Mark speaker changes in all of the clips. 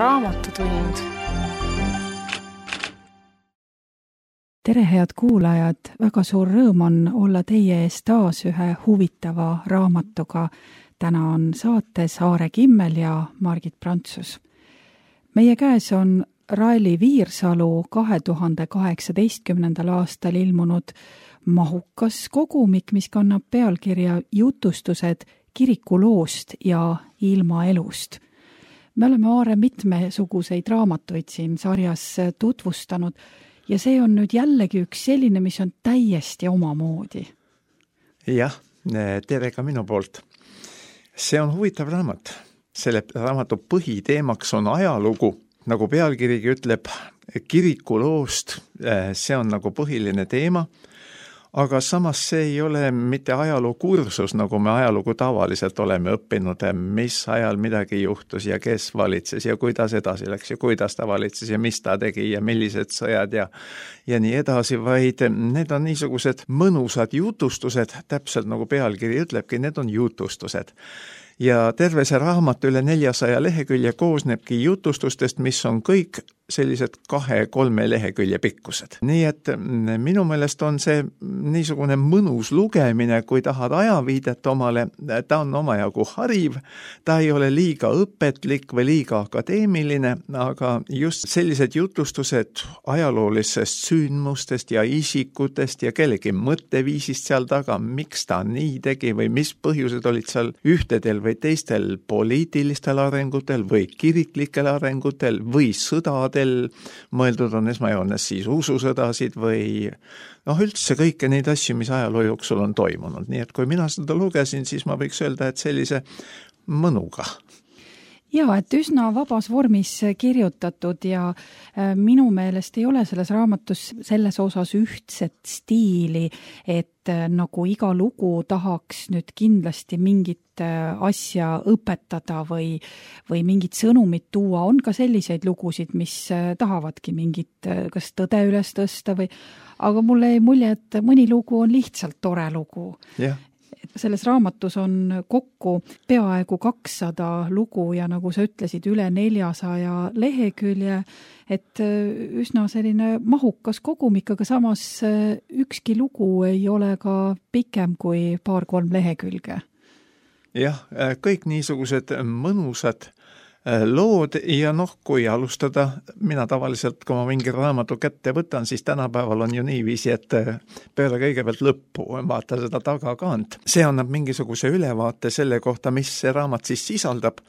Speaker 1: Raamatutund.
Speaker 2: Tere, head kuulajad! Väga suur rõõm on olla teie ees taas ühe huvitava raamatuga. Täna on saates Aare Kimmel ja Margit Prantsus. Meie käes on Raeli Viirsalu 2018. aastal ilmunud mahukas kogumik, mis kannab pealkirja Jutustused kirikuloost ja ilmaelust. Me oleme Aare mitmesuguseid raamatuid siin sarjas tutvustanud ja see on nüüd jällegi üks selline, mis on täiesti omamoodi.
Speaker 3: Jah, tere ka minu poolt. See on huvitav raamat. Selle raamatu põhiteemaks on ajalugu, nagu pealkirigi ütleb, kirikuloost. See on nagu põhiline teema, aga samas see ei ole mitte ajalookursus, nagu me ajalugu tavaliselt oleme õppinud, mis ajal midagi juhtus ja kes valitses ja kuidas edasi läks ja kuidas ta valitses ja mis ta tegi ja millised sõjad ja nii edasi, vaid need on niisugused mõnusad jutustused, täpselt nagu pealkiri ütlebki, need on jutustused. Ja terve see raamat üle 400 lehekülje koosnebki jutustustest, mis on kõik sellised 2-3 lehekülje pikkused. Nii et minu meelest on see niisugune mõnus lugemine, kui tahad ajaviidet omale, ta on omajagu hariv, ta ei ole liiga õpetlik või liiga akadeemiline, aga just sellised jutustused ajaloolisest sündmustest ja isikutest ja kellegi mõtteviisist seal taga, miks ta nii tegi või mis põhjused olid seal ühtedel või teistel poliitilistel arengutel või kiriklikel arengutel või sõdadel, mõeldud on esmajoones siis ususõdasid või üldse kõike neid asju, mis ajaloo jooksul on toimunud. Nii et kui mina seda lugesin, siis ma võiks öelda, et sellise mõnuga.
Speaker 2: Ja, et üsna vabas vormis kirjutatud ja minu meelest ei ole selles raamatus selles osas ühtset stiili, et nagu iga lugu tahaks nüüd kindlasti mingit asja õpetada või mingit sõnumit tuua. On ka selliseid lugusid, mis tahavadki mingit kas tõde üles tõsta aga mulle ei mulje, et mõni lugu on lihtsalt tore lugu.
Speaker 3: Jah.
Speaker 2: Selles raamatus on kokku peaaegu 200 lugu ja nagu sa ütlesid, üle 400 lehekülje, et üsna selline mahukas kogumik, aga samas ükski lugu ei ole ka pikem kui 2-3 lehekülge.
Speaker 3: Jah, kõik niisugused mõnusad lood ja kui alustada, mina tavaliselt, kui ma mingi raamatu kätte võtan, siis tänapäeval on ju niiviisi, et peale kõigepealt lõppu vaata seda tagakaant. See annab mingisuguse ülevaate selle kohta, mis see raamat siis sisaldab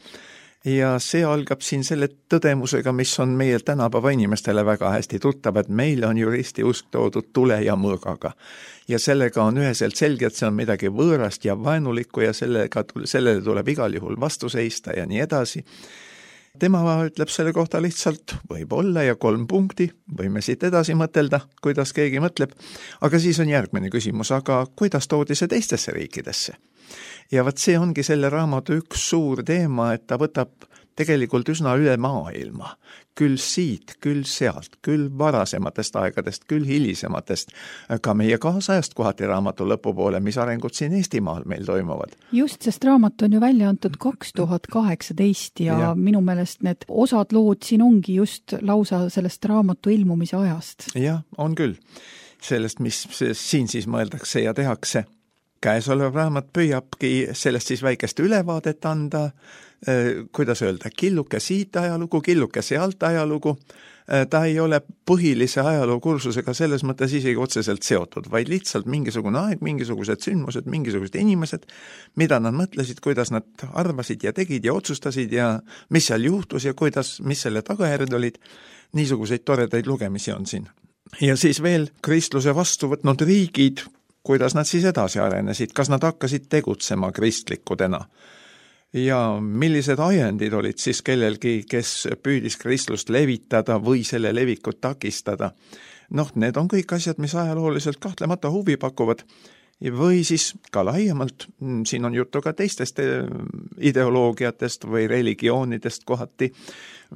Speaker 3: ja see algab siin selle tõdemusega, mis on meie tänapäeva inimestele väga hästi tuttav, et meil on juristi usk toodud tule ja mõõgaga. Ja sellega on üheselt selge, et see on midagi võõrast ja vaenulikku ja sellele tuleb igal juhul vastu seista ja nii edasi. Tema ütleb selle kohta lihtsalt võib-olla ja 3 punkti, võime siit edasi mõtelda, kuidas keegi mõtleb, aga siis on järgmine küsimus, aga kuidas toodi see teistesse riikidesse? Ja see ongi selle raamatu üks suur teema, et ta võtab tegelikult üsna üle maailma. Küll siit, küll sealt, küll varasematest aegadest, küll hilisematest, ka meie kaasajast kohati raamatu lõpupoole, mis arengud siin Eestimaal meil toimuvad.
Speaker 2: Just, sest raamat on ju välja antud 2018 ja minu meelest need osad lood siin ongi just lausa sellest raamatu ilmumise ajast.
Speaker 3: Jah, on küll. Sellest, mis siin siis mõeldakse ja tehakse. Käesolev raamat püüabki sellest siis väikest ülevaadet anda, kuidas öelda, killuke siit ajalugu, killuke sealt ajalugu. Ta ei ole põhilise ajalookursusega selles mõttes isegi otseselt seotud, vaid lihtsalt mingisugune aeg, mingisugused sündmused, mingisugused inimesed, mida nad mõtlesid, kuidas nad arvasid ja tegid ja otsustasid ja mis seal juhtus ja mis selle tagajärjed olid. Niisuguseid toredaid lugemisi on siin. Ja siis veel kristluse vastu võtnud riigid, kuidas nad siis edasi arenesid, kas nad hakkasid tegutsema kristlikudena ja millised ajendid olid siis kellelgi, kes püüdis kristlust levitada või selle levikut takistada. Need on kõik asjad, mis ajalooliselt kahtlemata huvi pakuvad või siis ka laiemalt, siin on juttu ka teistest ideoloogiatest või religioonidest kohati,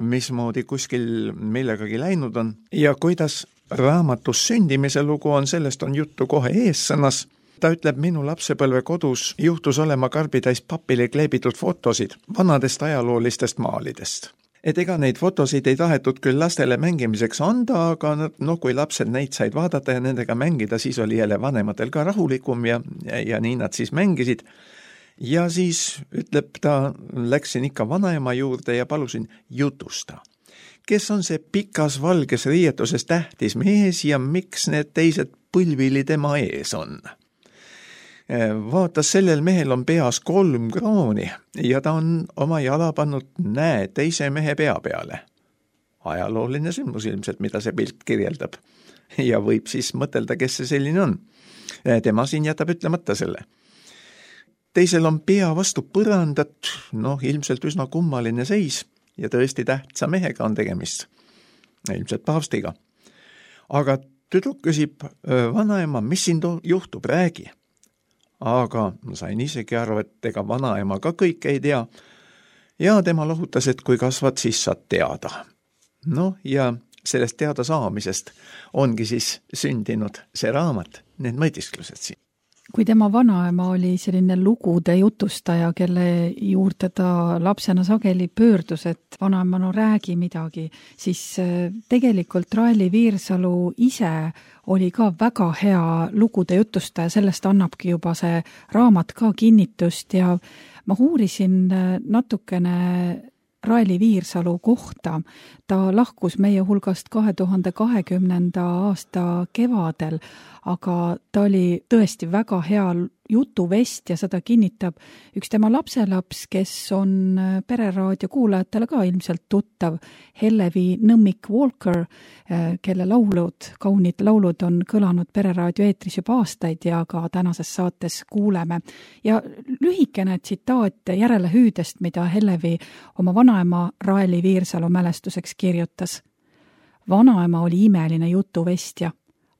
Speaker 3: mismoodi kuskil millegagi läinud on ja kuidas raamatus sündimise lugu on, sellest on juttu kohe eessõnas. Ta ütleb, minu lapsepõlve kodus juhtus olema karbitäis papile kleebitud fotosid vanadest ajaloolistest maalidest. et ega neid fotosid ei tahetud küll lastele mängimiseks anda, aga no kui lapsed neid said vaadata ja nendega mängida, siis oli jälle vanematel ka rahulikum ja nii nad siis mängisid. Ja siis ütleb ta, läksin ikka vanaema juurde ja palusin jutusta. Kes on see pikas valges riietuses tähtis mees ja miks need teised põlvili tema ees on? Vaatas, sellel mehel on peas 3 krooni ja ta on oma jala pannud teise mehe pea peale. Ajalooline sündmus ilmselt, mida see pilt kirjeldab. Ja võib siis mõtelda, kes see selline on. Tema siin jätab ütlemata selle. Teisel on pea vastu põrandat, ilmselt üsna kummaline seis ja tõesti tähtsa mehega on tegemist. Ilmselt paavstiga. Aga tüdruk küsib, vanaema, mis siin juhtub, räägi. Aga sain isegi aru, et ega vanaema ka kõik ei tea. Ja tema lohutas, et kui kasvad, siis saad teada. Ja sellest teada saamisest ongi siis sündinud see raamat, need mõtisklused siin.
Speaker 2: Kui tema vanaema oli selline lugude jutustaja, kelle juurde ta lapsena sageli pöördus, et vanaema, räägi midagi, siis tegelikult Raeli Viirsalu ise oli ka väga hea lugude jutustaja, sellest annabki juba see raamat ka kinnitust ja ma uurisin natukene Raeli Viirsalu kohta. Ta lahkus meie hulgast 2020. aasta kevadel, aga ta oli tõesti väga hea jutuvest ja seda kinnitab üks tema lapselaps, kes on Pereraadio kuulajatele ka ilmselt tuttav, Hellevi Nõmmik Walker, kelle kaunid laulud on kõlanud Pereraadio eetris juba aastaid ja ka tänases saates kuuleme. Ja lühikene tsitaat järelehüüdest, mida Hellevi oma vanaema Raeli Viirsalu mälestuseks kirjutas. Vanaema oli imeline jutuvestja,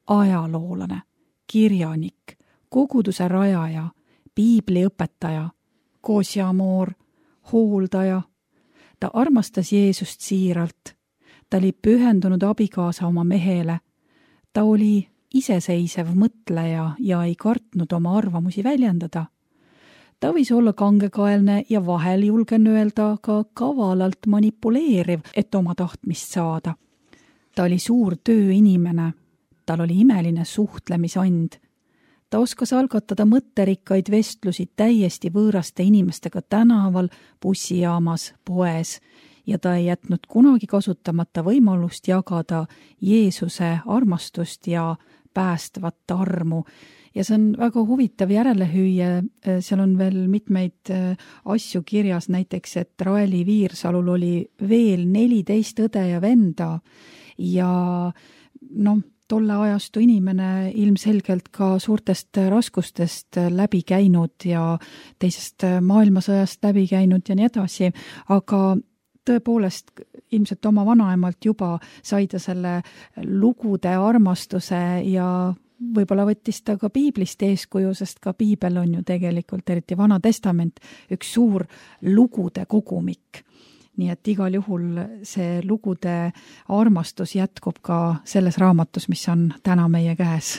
Speaker 2: ajaloolane, kirjanik, koguduse rajaja, piibliõpetaja, koosjamoor, hooldaja. Ta armastas Jeesust siiralt. Ta oli pühendunud abikaasa oma mehele. Ta oli iseseisev mõtleja ja ei kartnud oma arvamusi väljendada. Ta võis olla kangekaelne ja vahel julgen öelda ka kavalalt manipuleeriv, et oma tahtmist saada. Ta oli suur tööinimene. Tal oli imeline suhtlemisand. Ta oskas algatada mõtterikkaid vestlusi täiesti võõraste inimestega tänaval, bussijaamas, poes ja ta ei jätnud kunagi kasutamata võimalust jagada Jeesuse armastust ja päästvat armu. Ja see on väga huvitav järelehüüe, seal on veel mitmeid asju kirjas, näiteks, et Raeli Viirsalul oli veel 14 õde ja venda ja tolle ajastu inimene ilmselgelt ka suurtest raskustest läbi käinud ja teisest maailmasõjast läbi käinud ja nii edasi, aga tõepoolest ilmselt oma vanaemalt juba sai ta selle lugude armastuse ja võib-olla võttis ta ka piiblist eeskuju, sest ka piibel on ju tegelikult, eriti Vana Testament, üks suur lugude kogumik. Nii et igal juhul see lugude armastus jätkub ka selles raamatus, mis on täna meie käes.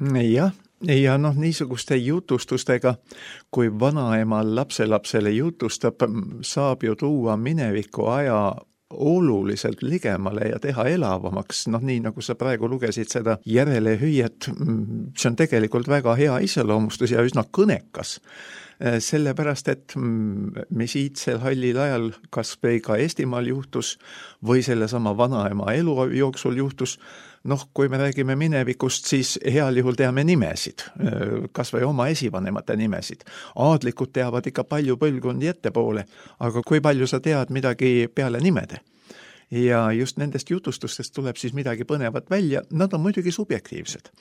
Speaker 3: Jah, ja niisuguste jutustustega, kui vanaema lapselapsele jutustab, saab ju tuua mineviku aja oluliselt ligemale ja teha elavamaks, nii nagu sa praegu lugesid seda järelehüüet, see on tegelikult väga hea iseloomustus ja üsna kõnekas. Sellepärast, et mis iidsel hallil ajal kas või ka Eestimaal juhtus või sellesama vanaema elu jooksul juhtus, kui me räägime minevikust, siis heal juhul teame nimesid, kas või oma esivanemate nimesid. Aadlikud teavad ikka palju põlvkondi ettepoole, aga kui palju sa tead midagi peale nimede? Ja just nendest jutustustest tuleb siis midagi põnevat välja, nad on muidugi subjektiivsed.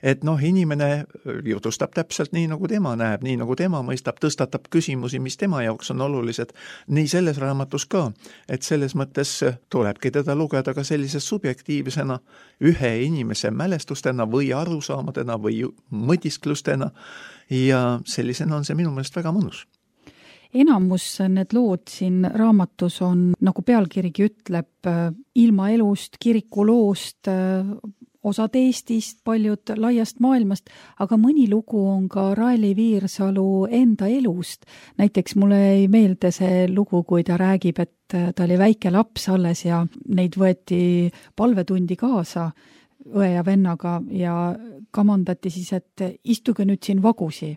Speaker 3: Et inimene jutustab täpselt nii, nagu tema näeb, nii nagu tema mõistab, tõstatab küsimusi, mis tema jaoks on olulised, nii selles raamatus ka, et selles mõttes tulebki teda lugeda ka sellise subjektiivsena, ühe inimese mälestustena või arusaamadena või mõtisklustena ja sellisena on see minu meelest väga mõnus.
Speaker 2: Enamus need lood siin raamatus on, nagu pealkirigi ütleb, ilma elust, kirikuloost, osad Eestist, paljud laiast maailmast, aga mõni lugu on ka Raeli Viirsalu enda elust. Näiteks mulle ei meelde see lugu, kui ta räägib, et ta oli väike laps alles ja neid võeti palvetundi kaasa õe ja vennaga ja kamandati siis, et istuge nüüd siin vagusi.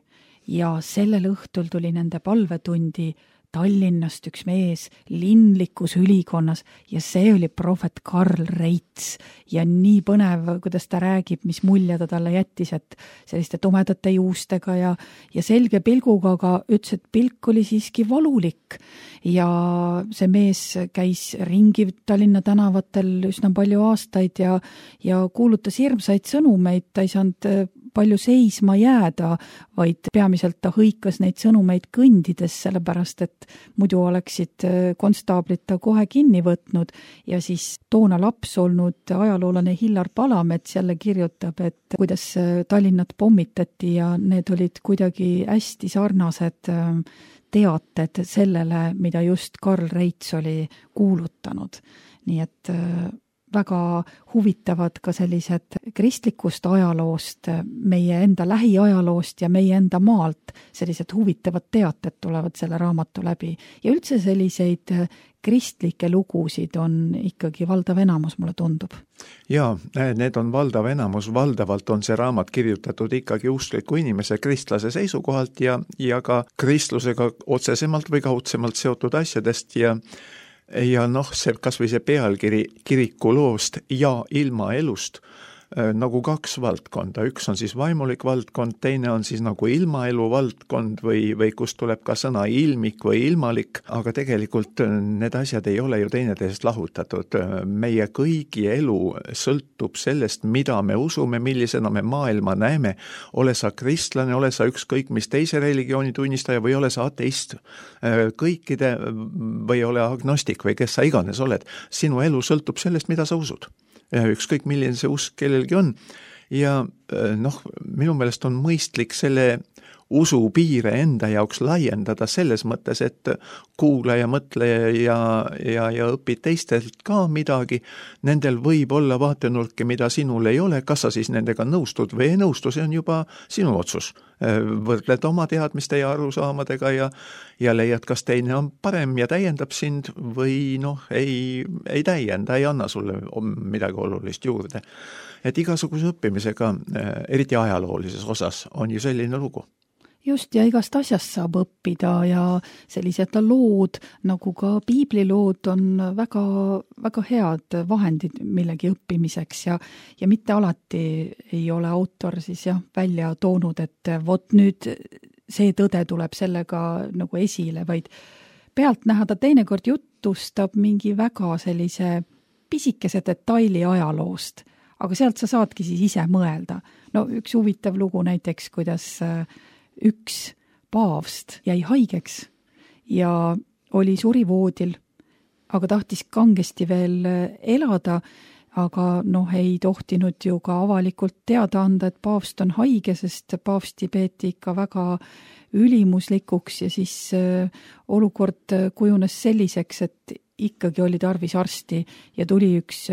Speaker 2: Ja sellel õhtul tuli nende palvetundi Tallinnast üks mees linlikus ülikonnas ja see oli prohvet Karl Reits ja nii põnev, kuidas ta räägib, mis mulje ta talle jättis, et selliste tumedate juustega ja selge pilguga, aga ütles, et pilk oli siiski valulik ja see mees käis ringi Tallinna tänavatel üsna palju aastaid ja kuulutas hirmsaid sõnumeid, ta ei saanud palju seisma jääda, vaid peamiselt ta hõikas neid sõnumeid kõndides, sellepärast et muidu oleksid konstaablid ta kohe kinni võtnud ja siis toona laps olnud ajaloolane Hillar Palamets jälle kirjutab, et kuidas Tallinnat pommitati ja need olid kuidagi hästi sarnased teated sellele, mida just Karl Reits oli kuulutanud. Nii et väga huvitavad ka sellised kristlikust ajaloost, meie enda lähiajaloost ja meie enda maalt sellised huvitavad teated tulevad selle raamatu läbi. Ja üldse selliseid kristlikke lugusid on ikkagi valdav enamus, mulle tundub.
Speaker 3: Jaa, need on valdav enamus. Valdavalt on see raamat kirjutatud ikkagi uskliku inimese kristlase seisukohalt ja ka kristlusega otsesemalt või kaudsemalt seotud asjadest ja see kas või see pealkiri kirikuloost ja ilmaelust nagu kaks valdkonda. Üks on siis vaimulik valdkond, teine on siis nagu ilmaelu valdkond või kust tuleb ka sõna ilmik või ilmalik, aga tegelikult need asjad ei ole ju teineteisest lahutatud. Meie kõigi elu sõltub sellest, mida me usume, millisena me maailma näeme. Ole sa kristlane, ole sa ükskõik mis teise religiooni tunnistaja või ole sa ateist. Kõikide või ole agnostik või kes sa iganes oled. Sinu elu sõltub sellest, mida sa usud. Ükskõik milline see usk kellelgi on ja minu meelest on mõistlik selle usu piire enda jaoks laiendada selles mõttes, et kuula ja mõtle ja õpi teistelt ka midagi. Nendel võib olla vaatenurki, mida sinul ei ole, kas sa siis nendega nõustud või ei nõustu, see on juba sinu otsus. Võrdled oma teadmiste ja arusaamadega ja leiad, kas teine on parem ja täiendab sind või ei täienda, ei anna sulle midagi olulist juurde. Et igasuguse õppimisega, eriti ajaloolises osas, on ju selline lugu.
Speaker 2: Just, ja igast asjast saab õppida ja sellised lood, nagu ka piiblilood on väga, väga head vahendid millegi õppimiseks ja mitte alati ei ole autor siis välja toonud, et vot nüüd see tõde tuleb sellega nagu esile, vaid pealt näha ta teinekord jutustab mingi väga sellise pisikese detaili ajaloost, aga sealt sa saadki siis ise mõelda. Üks huvitav lugu näiteks, kuidas üks paavst jäi haigeks ja oli surivoodil, aga tahtis kangesti veel elada, aga ei tohtinud ju ka avalikult teada anda, et paavst on haige, sest paavsti peeti ikka väga ülimuslikuks ja siis olukord kujunes selliseks, et ikkagi oli tarvis arsti ja tuli üks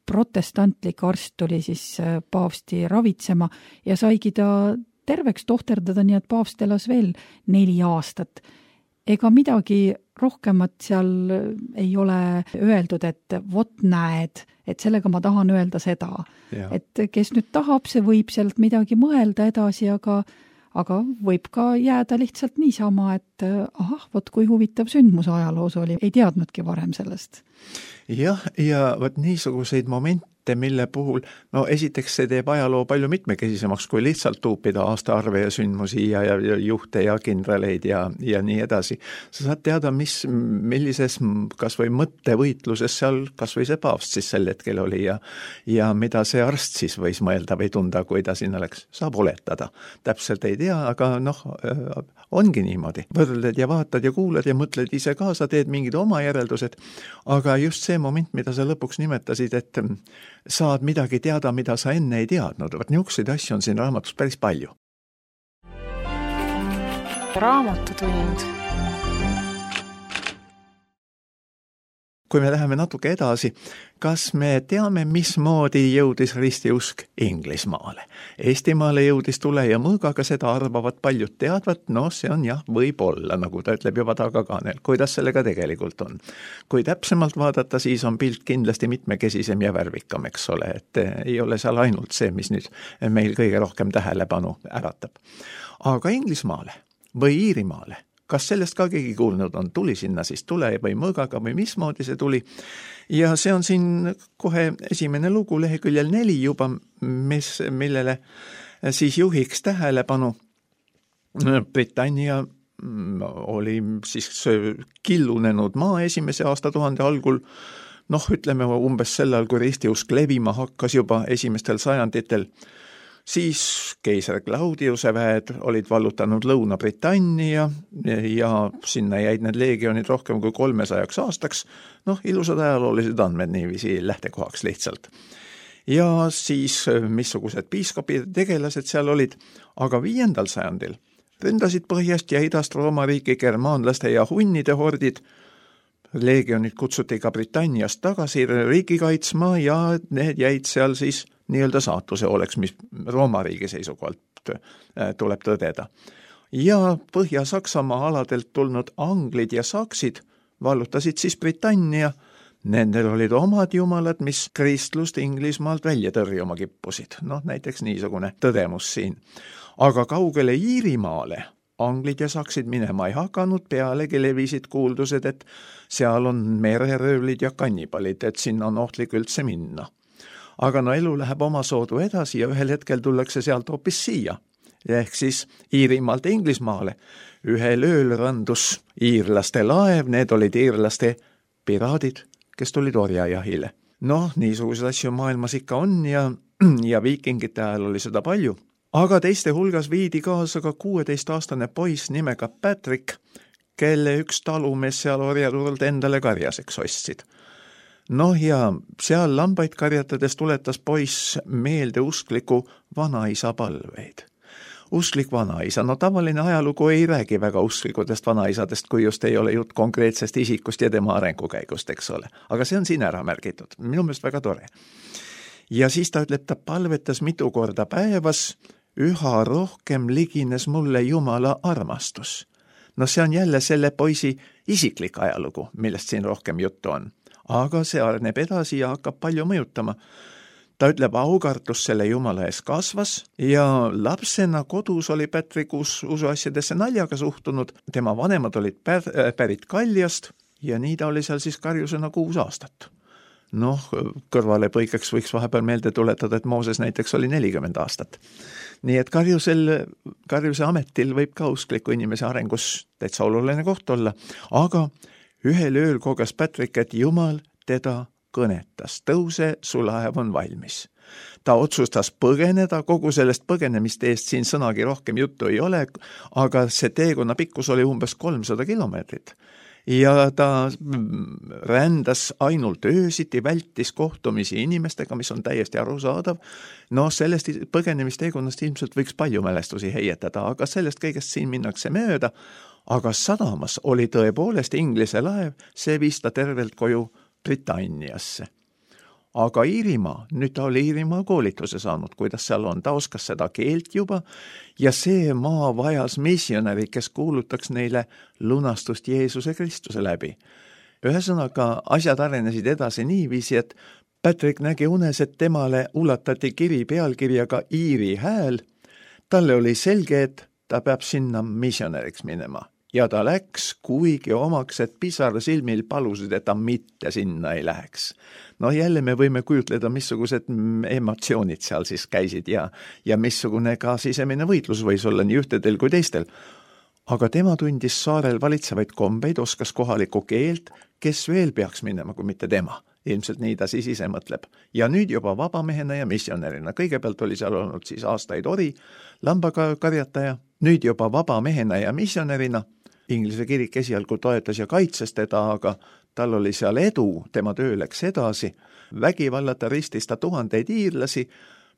Speaker 2: protestantlik arst tuli siis paavsti ravitsema ja saigi ta terveks tohterdada, nii et paavst elas veel 4 aastat. Ega midagi rohkemat seal ei ole öeldud, et vot näed, et sellega ma tahan öelda seda. Ja. Et kes nüüd tahab, see võib sealt midagi mõelda edasi, aga võib ka jääda lihtsalt niisama, et vot kui huvitav sündmus ajaloos oli, ei teadnudki varem sellest.
Speaker 3: Jah, ja vot niisuguseid momente, mille puhul, esiteks see teeb ajaloo palju mitmekesisemaks, kui lihtsalt tuupida aastaarve ja sündmusi ja juhte ja kindraleid ja nii edasi. Sa saad teada, millises kas või mõttevõitluses seal kas või see paavst siis sel hetkel oli ja mida see arst siis võis mõelda või tunda, kui ta sinna läks. Saab oletada. Täpselt ei tea, aga ongi niimoodi. Võrdled ja vaatad ja kuulad ja mõtled ise kaasa, teed mingid oma järeldused, aga just see moment, mida sa lõpuks nimetasid, et saad midagi teada, mida sa enne ei teadnud. Niisuguseid asju on siin raamatus päris palju.
Speaker 1: Raamatutund.
Speaker 3: kui me läheme natuke edasi, kas me teame, mismoodi jõudis ristiusk Inglismaale? Eestimaale jõudis tule ja mõõgaga, seda arvavad paljud teadvat, see on jah, võib-olla, nagu ta ütleb juba tagakaanel, kuidas sellega tegelikult on. Kui täpsemalt vaadata, siis on pilt kindlasti mitmekesisem ja värvikam, eks ole, et ei ole seal ainult see, mis nüüd meil kõige rohkem tähelepanu äratab. Aga Inglismaale või Iirimaale, kas sellest ka keegi kuulnud on, tuli sinna siis tule või mõõgaga või mismoodi see tuli? Ja see on siin kohe esimene lugu leheküljel 4 juba, millele siis juhiks tähelepanu. Britannia oli siis killunenud maa esimese aastatuhande algul, ütleme umbes sellal, kui ristiusk levima hakkas juba esimestel sajanditel. Siis keisar Claudiuse väed olid vallutanud Lõuna-Britannia ja sinna jäid need leegionid rohkem kui 300 aastaks. Ilusad ajaloolised andmed niiviisi lähtekohaks lihtsalt. Ja siis missugused piiskopid tegelased seal olid, aga 5. sajandil ründasid põhjast ja idast Rooma riiki germaanlaste ja hunnide hordid. Leegionid kutsuti ka Britanniast tagasi riiki kaitsma ja need jäid seal siis nii-öelda saatuse oleks, mis Rooma riigi seisukohalt tuleb tõdeda. Ja Põhja-Saksamaa aladelt tulnud anglid ja saksid vallutasid siis Britannia. Nendel olid omad jumalad, mis kristlust Inglismaalt välja tõrjuma kippusid. Näiteks niisugune tõdemus siin. Aga kaugele Iirimaale anglid ja saksid minema ei hakanud, pealegi levisid kuuldused, et seal on mereröövlid ja kannibalid, et sinna on ohtlik üldse minna. Aga elu läheb oma soodu edasi ja ühel hetkel tullakse sealt hoopis siia, ehk siis Iirimaalt Inglismaale. Ühel ööl randus iirlaste laev, need olid iirlaste piraadid, kes tulid orjajahile. Niisuguseid asju maailmas ikka on ja viikingite ajal oli seda palju. Aga teiste hulgas viidi kaasa ka 16-aastane poiss nimega Patrick, kelle üks talumees seal orjaturult endale karjaseks ostsid. Ja seal lambaid karjatades tuletas poiss meelde uskliku vanaisa palveid. Usklik vanaisa, tavaline ajalugu ei räägi väga usklikudest vanaisadest, kui just ei ole jutt konkreetsest isikust ja tema arengukäigust, eks ole. Aga see on siin ära märgitud, minu meelest väga tore. Ja siis ta ütleb, ta palvetas mitu korda päevas, üha rohkem ligines mulle Jumala armastus. See on jälle selle poisi isiklik ajalugu, millest siin rohkem juttu on. Aga see areneb edasi ja hakkab palju mõjutama. Ta ütleb, aukartus selle Jumala ees kasvas ja lapsena kodus oli Patrick usuasjadesse naljaga suhtunud. Tema vanemad olid pärit Kaljast ja nii ta oli seal siis karjusena 6 aastat. Kõrvalepõikeks võiks vahepeal meelde tuletada, et Mooses näiteks oli 40 aastat. Nii et karjuse ametil võib ka uskliku inimese arengus täitsa oluline koht olla, aga ühel ööl koges Patrick, et Jumal teda kõnetas. Tõuse, su laev on valmis. Ta otsustas põgeneda, kogu sellest põgenemist eest siin sõnagi rohkem juttu ei ole, aga see teekonna pikkus oli umbes 300 kilomeetrit. Ja ta rändas ainult öösiti, vältis kohtumisi inimestega, mis on täiesti arusaadav. Sellest põgenemisteekonnast ilmselt võiks palju mälestusi heietada, aga sellest kõigest siin minnakse mööda. Aga sadamas oli tõepoolest Inglise laev, see viis ta tervelt koju Britanniasse. Aga Iirimaa, nüüd ta oli Iirimaa koolituse saanud, kuidas seal on, ta oskas seda keelt juba ja see maa vajas missionäri, kes kuulutaks neile lunastust Jeesuse Kristuse läbi. Ühesõnaga, asjad arenesid edasi niiviisi, et Patrick nägi unes, et temale ulatati kiri pealkirjaga Iiri hääl. Talle oli selge, et ta peab sinna missionäriks minema. Ja ta läks, kuigi omaks, et pisar silmil palusid, et ta mitte sinna ei läheks. Jälle me võime kujutleda, missugused emotsioonid seal siis käisid ja missugune ka sisemine võitlus võis olla nii ühtedel kui teistel. Aga tema tundis saarel valitsevaid kombeid, oskas kohalikku keelt, kes veel peaks minema, kui mitte tema. Ilmselt nii ta siis ise mõtleb. Ja nüüd juba vabamehena ja missionärina. Kõigepealt oli seal olnud siis aastaid ori, lambakarjataja, nüüd juba vabamehena ja missionärina. Inglise kirik esialgu toetas ja kaitses teda, aga tal oli seal edu, tema töö läks edasi. Vägivallata ristis ta tuhandeid iirlasi,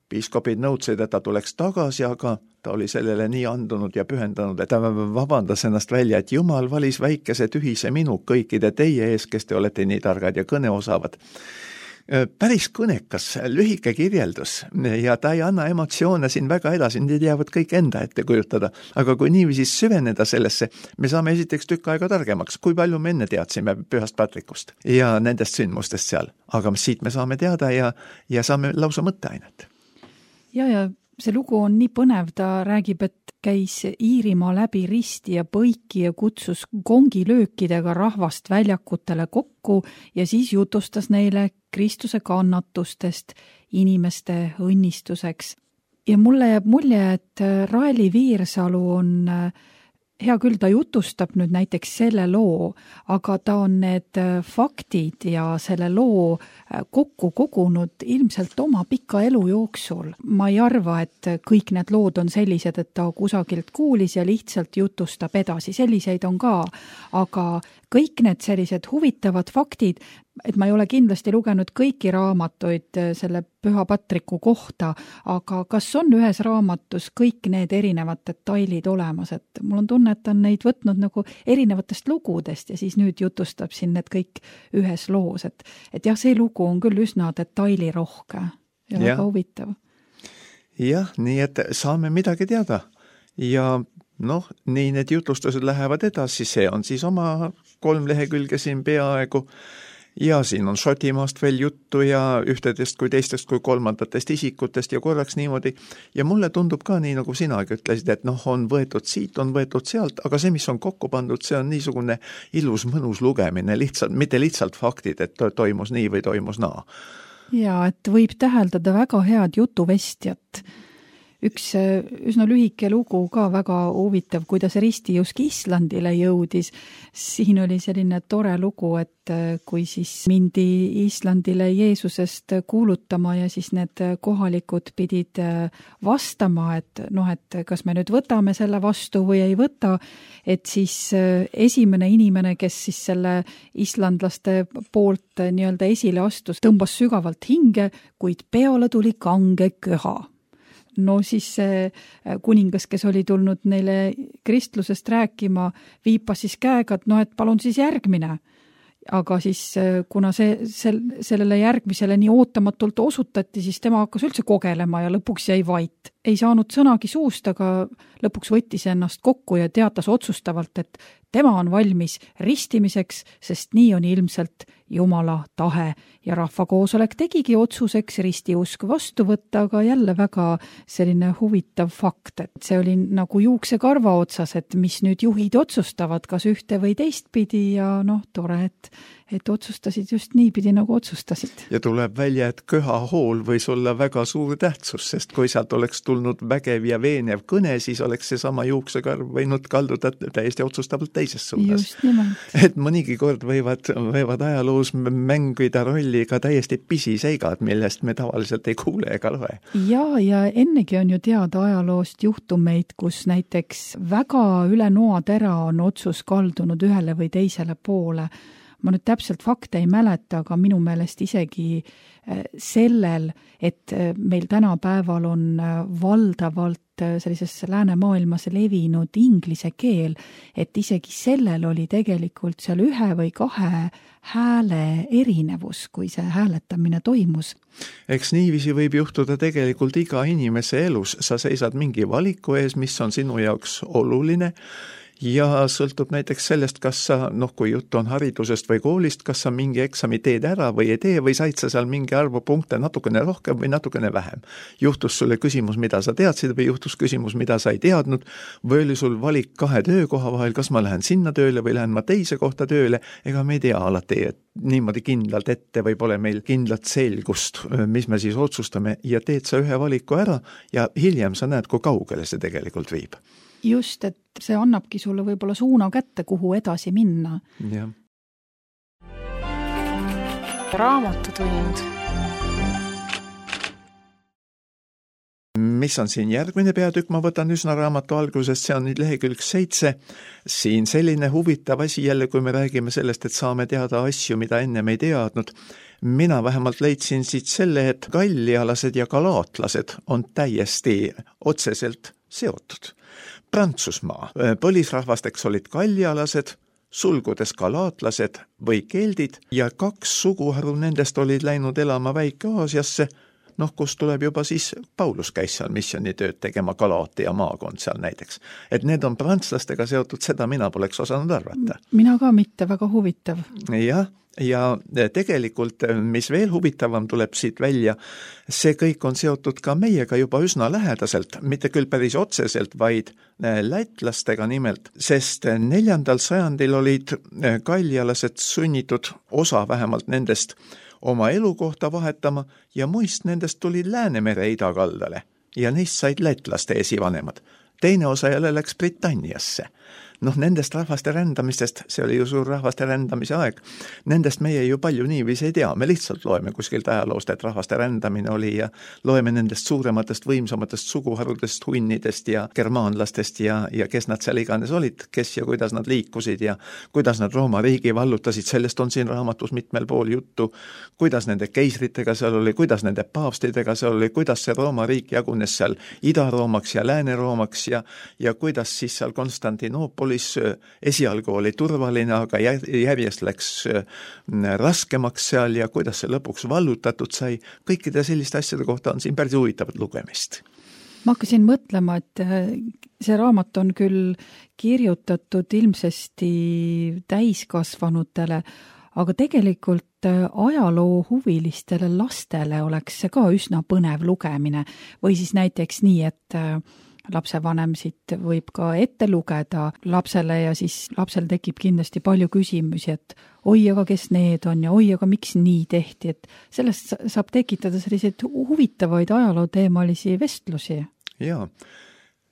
Speaker 3: piiskopid nõudsid, et ta tuleks tagasi, aga ta oli sellele nii andunud ja pühendanud, et ta vabandas ennast välja, et Jumal valis väikese tühise minu kõikide teie ees, kes te olete nii targad ja kõneosavad. Päris kõnekas, lühike kirjeldus ja ta ei anna emotsioone siin väga edasi, need jäävad kõik enda ette kujutada, aga kui niiviisi süveneda sellesse, me saame esiteks tükk aega targemaks, kui palju me enne teadsime Pühast Patrikust ja nendest sündmustest seal, aga siit me saame teada ja saame lausa mõtteainet.
Speaker 2: Ja see lugu on nii põnev, ta räägib, et käis Iirimaa läbi risti ja põiki ja kutsus kongilöökidega rahvast väljakutele kokku ja siis jutustas neile Kristuse kannatustest inimeste õnnistuseks. Ja mulle jääb mulje, et Raeli Viirsalu on hea küll, ta jutustab nüüd näiteks selle loo, aga ta on need faktid ja selle loo kokku kogunud ilmselt oma pika elu jooksul. Ma ei arva, et kõik need lood on sellised, et ta kusagilt kuulis ja lihtsalt jutustab edasi. Selliseid on ka, aga kõik need sellised huvitavad faktid, et ma ei ole kindlasti lugenud kõiki raamatuid selle Püha Patriku kohta, aga kas on ühes raamatus kõik need erinevad detailid olemas, et mul on tunne, et ta on neid võtnud nagu erinevatest lugudest ja siis nüüd jutustab siin need kõik ühes loos, et jah, see lugu on küll üsna detailirohke ja väga huvitav.
Speaker 3: Jah, nii et saame midagi teada ja nii need jutlustused lähevad edasi, see on siis oma 3 lehekülge siin peaaegu ja siin on Šotimaast veel juttu ja ühtedest kui teistest kui kolmandatest isikutest ja korraks niimoodi ja mulle tundub ka nii, nagu sinagi ütlesid, et on võetud siit, on võetud sealt, aga see, mis on kokku pandud, see on niisugune ilus mõnus lugemine, mitte lihtsalt faktid, et toimus nii või toimus naa.
Speaker 2: Ja, et võib täheldada väga head jutuvestjat. Üks üsna lühike lugu ka väga huvitav, kuidas Risti just Islandile jõudis. Siin oli selline tore lugu, et kui siis mindi Islandile Jeesusest kuulutama ja siis need kohalikud pidid vastama, et kas me nüüd võtame selle vastu või ei võta, et siis esimene inimene, kes siis selle islandlaste poolt nii-öelda esile astus, tõmbas sügavalt hinge, kuid peole tuli kange köha. No siis see kuningas, kes oli tulnud neile kristlusest rääkima, viipas siis käega, et palun siis järgmine. Aga siis, kuna sellele järgmisele nii ootamatult osutati, siis tema hakkas üldse kogelema ja lõpuks jäi vait. Ei saanud sõnagi suust, aga lõpuks võttis ennast kokku ja teatas otsustavalt, et tema on valmis ristimiseks, sest nii on ilmselt Jumala tahe ja rahvakoosolek tegigi otsuseks ristiusk vastu võtta, aga jälle väga selline huvitav fakt, et see oli nagu juuksekarva otsas, et mis nüüd juhid otsustavad, kas ühte või teistpidi ja tore, et otsustasid just niipidi, nagu otsustasid.
Speaker 3: Ja tuleb välja, et köhahool võis olla väga suur tähtsus, sest kui sealt oleks tulnud vägev ja veenev kõne, siis oleks see sama juuksekarv võinud kalduda täiesti otsustavalt teises suunas.
Speaker 2: Just nimelt.
Speaker 3: Et mõnigi kord võivad ajaloos mängida rolli ka täiesti pisiseigad, millest me tavaliselt ei kuule ega loe. Ja
Speaker 2: ennegi on ju teada ajaloost juhtumeid, kus näiteks väga üle noatera on otsus kaldunud ühele või teisele poole. Ma nüüd täpselt fakte ei mäleta, aga minu meelest isegi sellel, et meil tänapäeval on valdavalt sellises läänemaailmas levinud inglise keel, et isegi sellel oli tegelikult seal 1 või 2 hääle erinevus, kui see hääletamine toimus.
Speaker 3: Eks niiviisi võib juhtuda tegelikult iga inimese elus. Sa seisad mingi valiku ees, mis on sinu jaoks oluline, ja sõltub näiteks sellest, kas sa, kui jutt on haridusest või koolist, kas sa mingi eksami teed ära või ei tee või said sa seal mingi arvu punkte natukene rohkem või natukene vähem. Juhtus sulle küsimus, mida sa teadsid või juhtus küsimus, mida sa ei teadnud või oli sul valik 2 töökoha vahel, kas ma lähen sinna tööle või lähen ma teise kohta tööle, ega me ei tea alati, et niimoodi kindlalt ette või pole meil kindlat selgust, mis me siis otsustame ja teed sa ühe valiku ära ja hiljem sa näed, kui kaugele see tegelikult viib.
Speaker 2: Just, et see annabki sulle võib-olla suuna kätte, kuhu edasi minna.
Speaker 3: Ja.
Speaker 1: Raamatutund.
Speaker 3: mis on siin järgmine peatükk, ma võtan üsna raamatu algusest, see on nüüd lehekülg 7. Siin selline huvitav asi jälle, kui me räägime sellest, et saame teada asju, mida ennem ei teadnud. Mina vähemalt leidsin siit selle, et gallialased ja galaatlased on täiesti otseselt seotud. Prantsusmaa põlisrahvasteks olid gallialased, sulgudes galaatlased või keldid ja 2 suguharu nendest olid läinud elama Väike-Aasiasse, kus tuleb juba siis, Paulus käis seal missioonitööd tegema, Galaatia maakond seal näiteks. Et need on prantslastega seotud, seda mina poleks osanud arvata.
Speaker 2: Mina ka mitte, väga huvitav.
Speaker 3: Jah, ja tegelikult, mis veel huvitavam tuleb siit välja, see kõik on seotud ka meiega juba üsna lähedaselt, mitte küll päris otseselt, vaid lätlastega nimelt, sest 4. sajandil olid gallialased sunnitud, osa vähemalt nendest, oma elukohta vahetama ja muist nendest tulid Läänemere idakaldale ja neist said lätlaste esivanemad. Teine osa jälle läks Britanniasse. Nendest rahvaste rändamistest, see oli ju suur rahvaste rändamise aeg, nendest meie ju palju niiviisi ei tea, me lihtsalt loeme kuskilt ajaloost, et rahvaste rändamine oli ja loeme nendest suurematest, võimsamatest suguharudest, hunnidest ja germaanlastest ja kes nad seal iganes olid, kes ja kuidas nad liikusid ja kuidas nad Rooma riigi vallutasid, sellest on siin raamatus mitmel pool juttu, kuidas nende keisritega seal oli, kuidas nende paavstidega seal oli, kuidas see Rooma riik jagunes seal Ida-Roomaks ja Lääne-Roomaks ja kuidas siis seal Konstantinoopolis esialgu oli turvaline, aga järjest läks raskemaks seal ja kuidas see lõpuks vallutatud sai. Kõikide selliste asjade kohta on siin päris huvitavat lugemist.
Speaker 2: Ma hakkasin mõtlema, et see raamat on küll kirjutatud ilmsesti täiskasvanutele, aga tegelikult ajaloo huvilistele lastele oleks see ka üsna põnev lugemine. Või siis näiteks nii, et lapsevanem siit võib ka ette lugeda lapsele ja siis lapsel tekib kindlasti palju küsimusi, et oi, aga kes need on ja oi, aga miks nii tehti, et sellest saab tekitada selliseid huvitavaid ajalooteemalisi vestlusi.
Speaker 3: Jaa,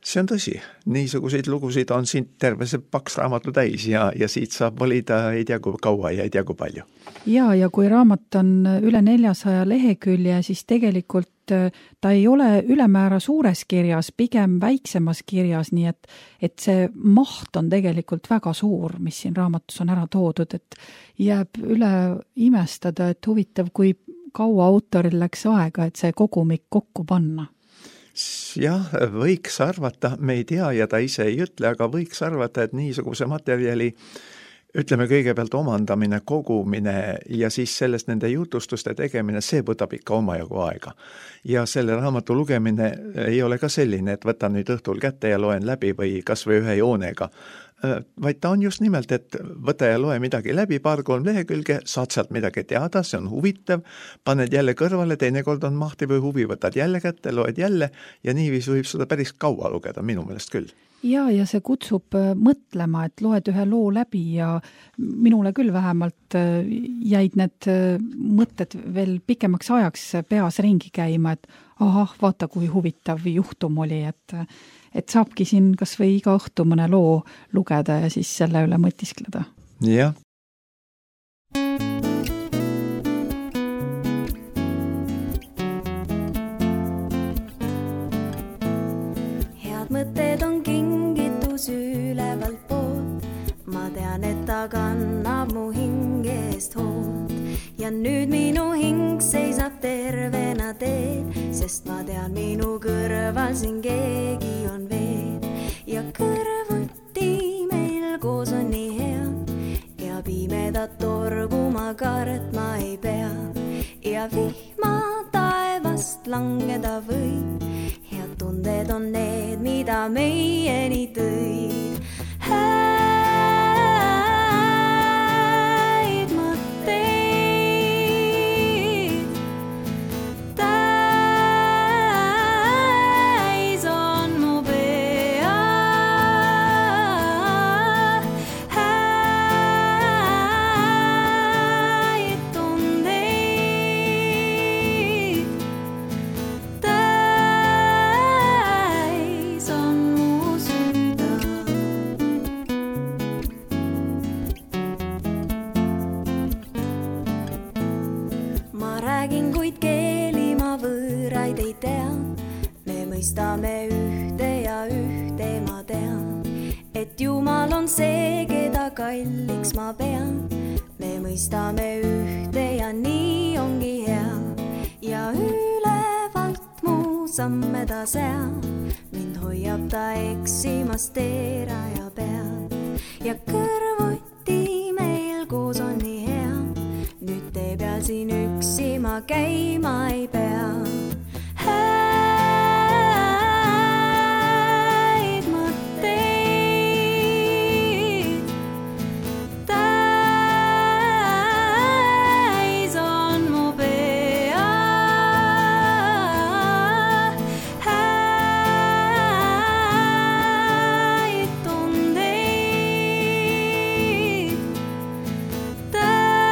Speaker 3: see on tõsi. Niisuguseid lugusid on siin terve see paks raamatu täis ja siit saab valida ei tea kui kaua ja ei tea kui palju.
Speaker 2: Ja kui raamat on üle 400 lehekülje, siis tegelikult ta ei ole ülemäära suures kirjas, pigem väiksemas kirjas, nii et see maht on tegelikult väga suur, mis siin raamatus on ära toodud, et jääb üle imestada, et huvitav, kui kaua autoril läks aega, et see kogumik kokku panna.
Speaker 3: Jah, võiks arvata, me ei tea ja ta ise ei ütle, aga võiks arvata, et niisuguse materjali ütleme kõigepealt omandamine, kogumine ja siis sellest nende jutustuste tegemine, see võtab ikka omajagu aega. Ja selle raamatu lugemine ei ole ka selline, et võtan nüüd õhtul kätte ja loen läbi või kas või ühe joonega, vaid ta on just nimelt, et võta ja loe midagi läbi, 2-3 lehekülge, saad sealt midagi teada, see on huvitav, paned jälle kõrvale, teinekord on mahti või huvi, võtad jälle kätte, loed jälle ja niiviisi võib seda päris kaua lugeda, minu meelest küll.
Speaker 2: Ja see kutsub mõtlema, et loed ühe loo läbi ja minule küll vähemalt jäid need mõtted veel pikemaks ajaks peas ringi käima, et vaata kui huvitav juhtum oli, et saabki siin kas või iga õhtu mõne loo lugeda ja siis selle üle mõtiskleda.
Speaker 3: Jah.
Speaker 1: Head mõtted on kingitus ülevalt poolt, ma tean, et ta kannab mu hingest hoolt ja nüüd minu hing seisab tervena teel, sest ma tean, minu kõrval siin keegi on veel ja kõrvuti meil koos on nii hea ja pimedat torgu ma kartma ei pea ja vihma taevast langeda võib. Head tunded on need, mida meieni tõid. Häid mõtteid täis on mu pea. Häid tundeid täis on mu süda. mõistame ühte ja ühte ma tean, et Jumal on see, keda kalliks ma pean. Me mõistame ühte ja nii ongi hea ja ülevalt mu samme ta seab. Mind hoiab ta eksimast teeraja peal ja kõrvuti meil koos on nii hea. Nüüd te peal siin üksi ma käima ei pea. Häid mõtteid täis on mu pea. Häid tundeid täis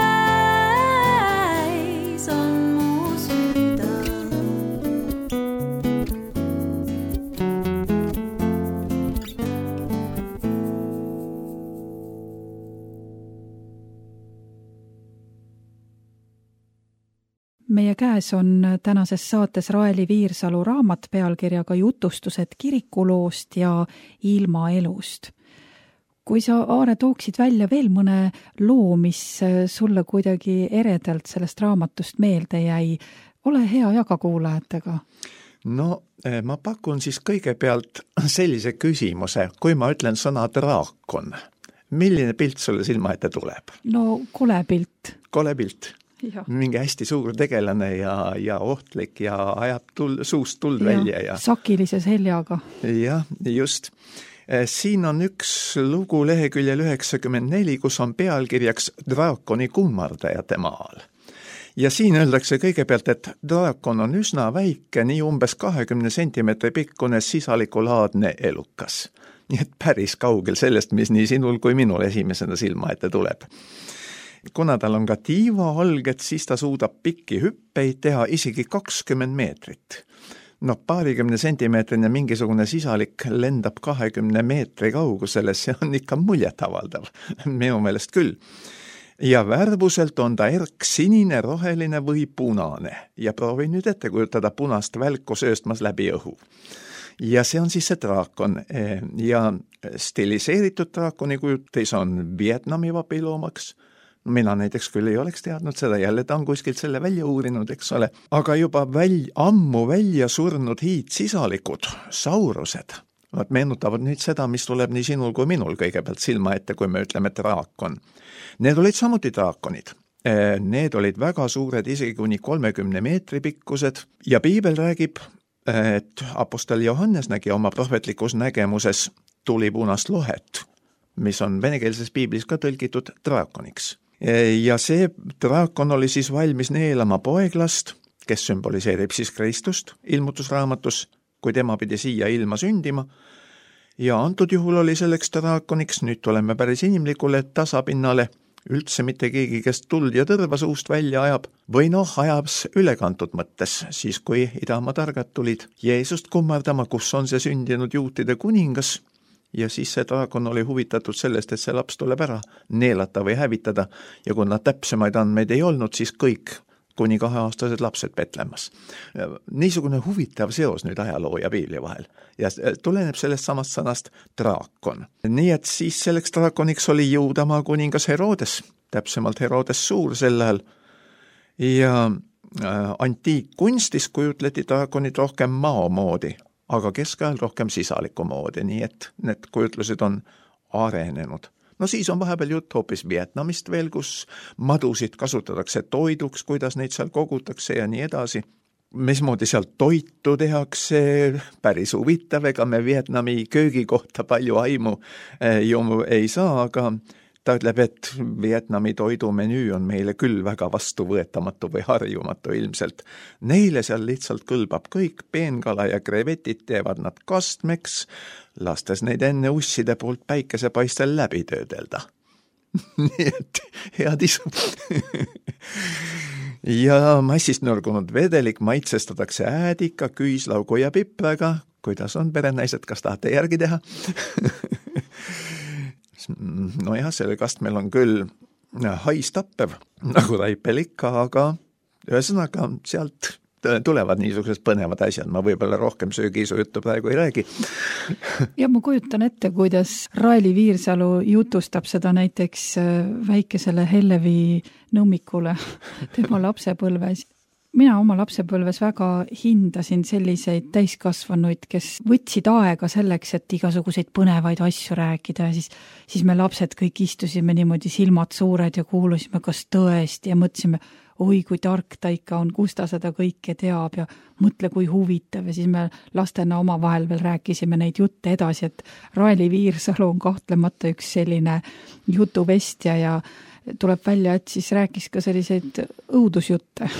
Speaker 1: on mu süda.
Speaker 2: Meie käes on tänases saates Raeli Viirsalu raamat pealkirjaga Jutustused kirikuloost ja ilmaelust. Kui sa, Aare, tooksid välja veel mõne loo, mis sulle kuidagi eredalt sellest raamatust meelde jäi, ole hea, jaga kuulajatega.
Speaker 3: No ma pakun siis kõigepealt sellise küsimuse, kui ma ütlen sõna draakon. Milline pilt sulle silma ette tuleb?
Speaker 2: No kole pilt.
Speaker 3: Kole pilt.
Speaker 2: Ja.
Speaker 3: Mingi hästi suur tegelane ja ohtlik ja ajab suust tuld välja. Ja
Speaker 2: sakilise seljaga.
Speaker 3: Jah, just. Siin on üks lugu leheküljel 94, kus on pealkirjaks Draakoni kummardajate maal. Ja siin öeldakse kõigepealt, et draakon on üsna väike, nii umbes 20 sentimeetri pikkune sisalikulaadne elukas. Nii et päris kaugel sellest, mis nii sinul kui minul esimesena silma ette tuleb. Kuna tal on ka tiivaolged, siis ta suudab pikki hüppeid teha isegi 20 meetrit. No 20 sentimeetrine mingisugune sisalik lendab 20 meetri kaugusele, see on ikka muljetavaldav, minu meelest küll. Ja värvuselt on ta erksinine, roheline või punane ja proovi nüüd ette kujutada punast välku sööstmas läbi õhu. Ja see on siis see draakon ja stiliseeritud draakoni kujutis on Vietnami vapiloomaks. Mina näiteks küll ei oleks teadnud seda, jälle ta on kuskilt selle välja uurinud, eks ole. Aga juba ammu välja surnud hiidsisalikud, saurused, nad meenutavad nüüd seda, mis tuleb nii sinul kui minul kõigepealt silma ette, kui me ütleme draakon. Need olid samuti draakonid. Need olid väga suured, isegi kuni 30 meetri pikkused ja piibel räägib, et apostel Johannes nägi oma prohvetlikus nägemuses tulipunast lohet, mis on venekeelses piiblis ka tõlgitud draakoniks. Ja see draakon oli siis valmis neelama poeglast, kes sümboliseerib siis Kristust ilmutusraamatus, kui tema pidi siia ilma sündima. Ja antud juhul oli selleks draakoniks, nüüd tuleme päris inimlikule tasapinnale, üldse mitte keegi, kes tuld ja tõrva suust välja ajab, või ajabs ülekantud mõttes, siis kui idamaa targad tulid Jeesust kummardama, kus on see sündinud juutide kuningas. Ja siis see draakon oli huvitatud sellest, et see laps tuleb ära neelata või hävitada ja kui nad täpsemaid andmeid ei olnud, siis kõik kuni 2-aastased lapsed Betlemas. Niisugune huvitav seos nüüd ajaloo ja piibli vahel ja tuleneb sellest samast sõnast draakon. Nii et siis selleks draakoniks oli Juudamaa kuningas Herodes, täpsemalt Herodes Suur sel ajal ja antiikkunstis kujutleti draakonid rohkem mao moodi, aga keskajal rohkem sisaliku moodi, nii et need kujutlused on arenenud. No siis on vahepeal jutt hoopis Vietnamist veel, kus madusid kasutatakse toiduks, kuidas neid seal kogutakse ja nii edasi. Mismoodi seal toitu tehakse, päris huvitav, ega me Vietnami köögi kohta palju aimu ju ei saa, aga ta ütleb, et Vietnami toidumenüü on meile küll väga vastuvõetamatu või harjumatu ilmselt. Neile seal lihtsalt kõlbab kõik, peenkala ja krevetid teevad nad kastmeks, lastes neid enne usside poolt päikesepaistel läbi töödelda. Nii et head isu. Ja massist nõrgunud vedelik maitsestatakse äädika, küüslaugu ja pipraga. Kuidas on perenaised, kas tahate järgi teha? No jah, selle kastmel on küll haistappev, nagu taipel ikka, aga ühesõnaga sealt tulevad niisugused põnevad asjad, ma võib-olla rohkem söögiisu juttu praegu ei räägi.
Speaker 2: Ja ma kujutan ette, kuidas Raeli Viirsalu jutustab seda näiteks väikesele Hellevi nõmmikule tema lapsepõlves. Mina oma lapsepõlves väga hindasin selliseid täiskasvanuid, kes võtsid aega selleks, et igasuguseid põnevaid asju rääkida ja siis me lapsed kõik istusime niimoodi silmad suured ja kuulusime, kas tõesti ja mõtlesime, oi kui tark ta ikka on, kus ta seda kõike teab ja mõtle kui huvitav ja siis me lastena omavahel veel rääkisime neid jutte edasi, et Raeli Viirsalu on kahtlemata üks selline jutuvestja ja tuleb välja, et siis rääkis ka selliseid õudusjutte.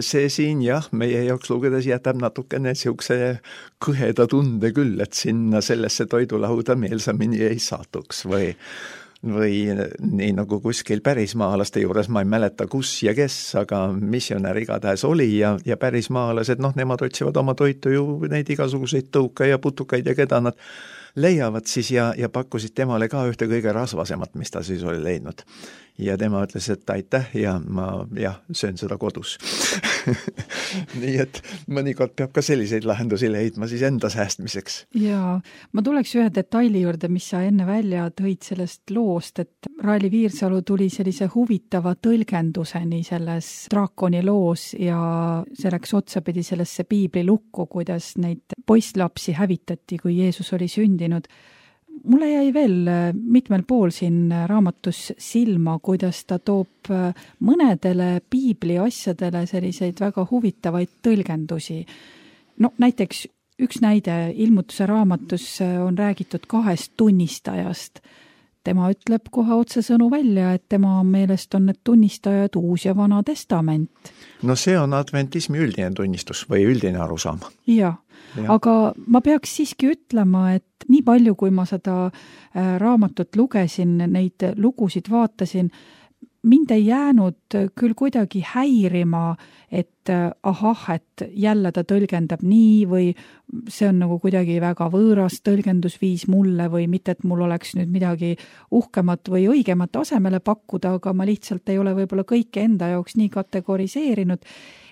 Speaker 3: See siin jah, meie jaoks lugedes jätab natukene siukse kõheda tunde küll, et sinna sellesse toidulauda meelsamini ei satuks või nii nagu kuskil pärismaalaste juures, ma ei mäleta kus ja kes, aga missionär igatahes oli ja pärismaalased, nemad otsivad oma toitu ju neid igasuguseid tõuka ja putukaid ja keda nad leiavad siis ja pakkusid temale ka ühte kõige rasvasemat, mis ta siis oli leidnud. Ja tema ütles, et aitäh ja ma söön seda kodus. Nii et mõnikord peab ka selliseid lahendusi leidma siis enda säästmiseks.
Speaker 2: Ja ma tuleks ühe detaili juurde, mis sa enne välja tõid sellest loost, et Raeli Viirsalu tuli sellise huvitava tõlgenduseni selles draakoni loos ja see läks otsapidi sellesse piiblilukku, kuidas neid poisslapsi hävitati, kui Jeesus oli sündinud. Mulle jäi veel mitmel pool siin raamatus silma, kuidas ta toob mõnedele piibli asjadele selliseid väga huvitavaid tõlgendusi. Näiteks üks näide ilmutuse raamatus on räägitud 2 tunnistajast. Tema ütleb kohe otsesõnu välja, et tema meelest on need tunnistajad Uus ja Vana Testament.
Speaker 3: See on adventismi üldine tunnistus või üldine arusaam.
Speaker 2: Ja. Aga ma peaks siiski ütlema, et nii palju, kui ma seda raamatut lugesin, neid lugusid vaatasin, mind ei jäänud küll kuidagi häirima, et et jälle ta tõlgendab nii või see on nagu kuidagi väga võõras tõlgendusviis mulle või mitte, et mul oleks nüüd midagi uhkemat või õigemat asemele pakkuda, aga ma lihtsalt ei ole võib-olla kõike enda jaoks nii kategoriseerinud,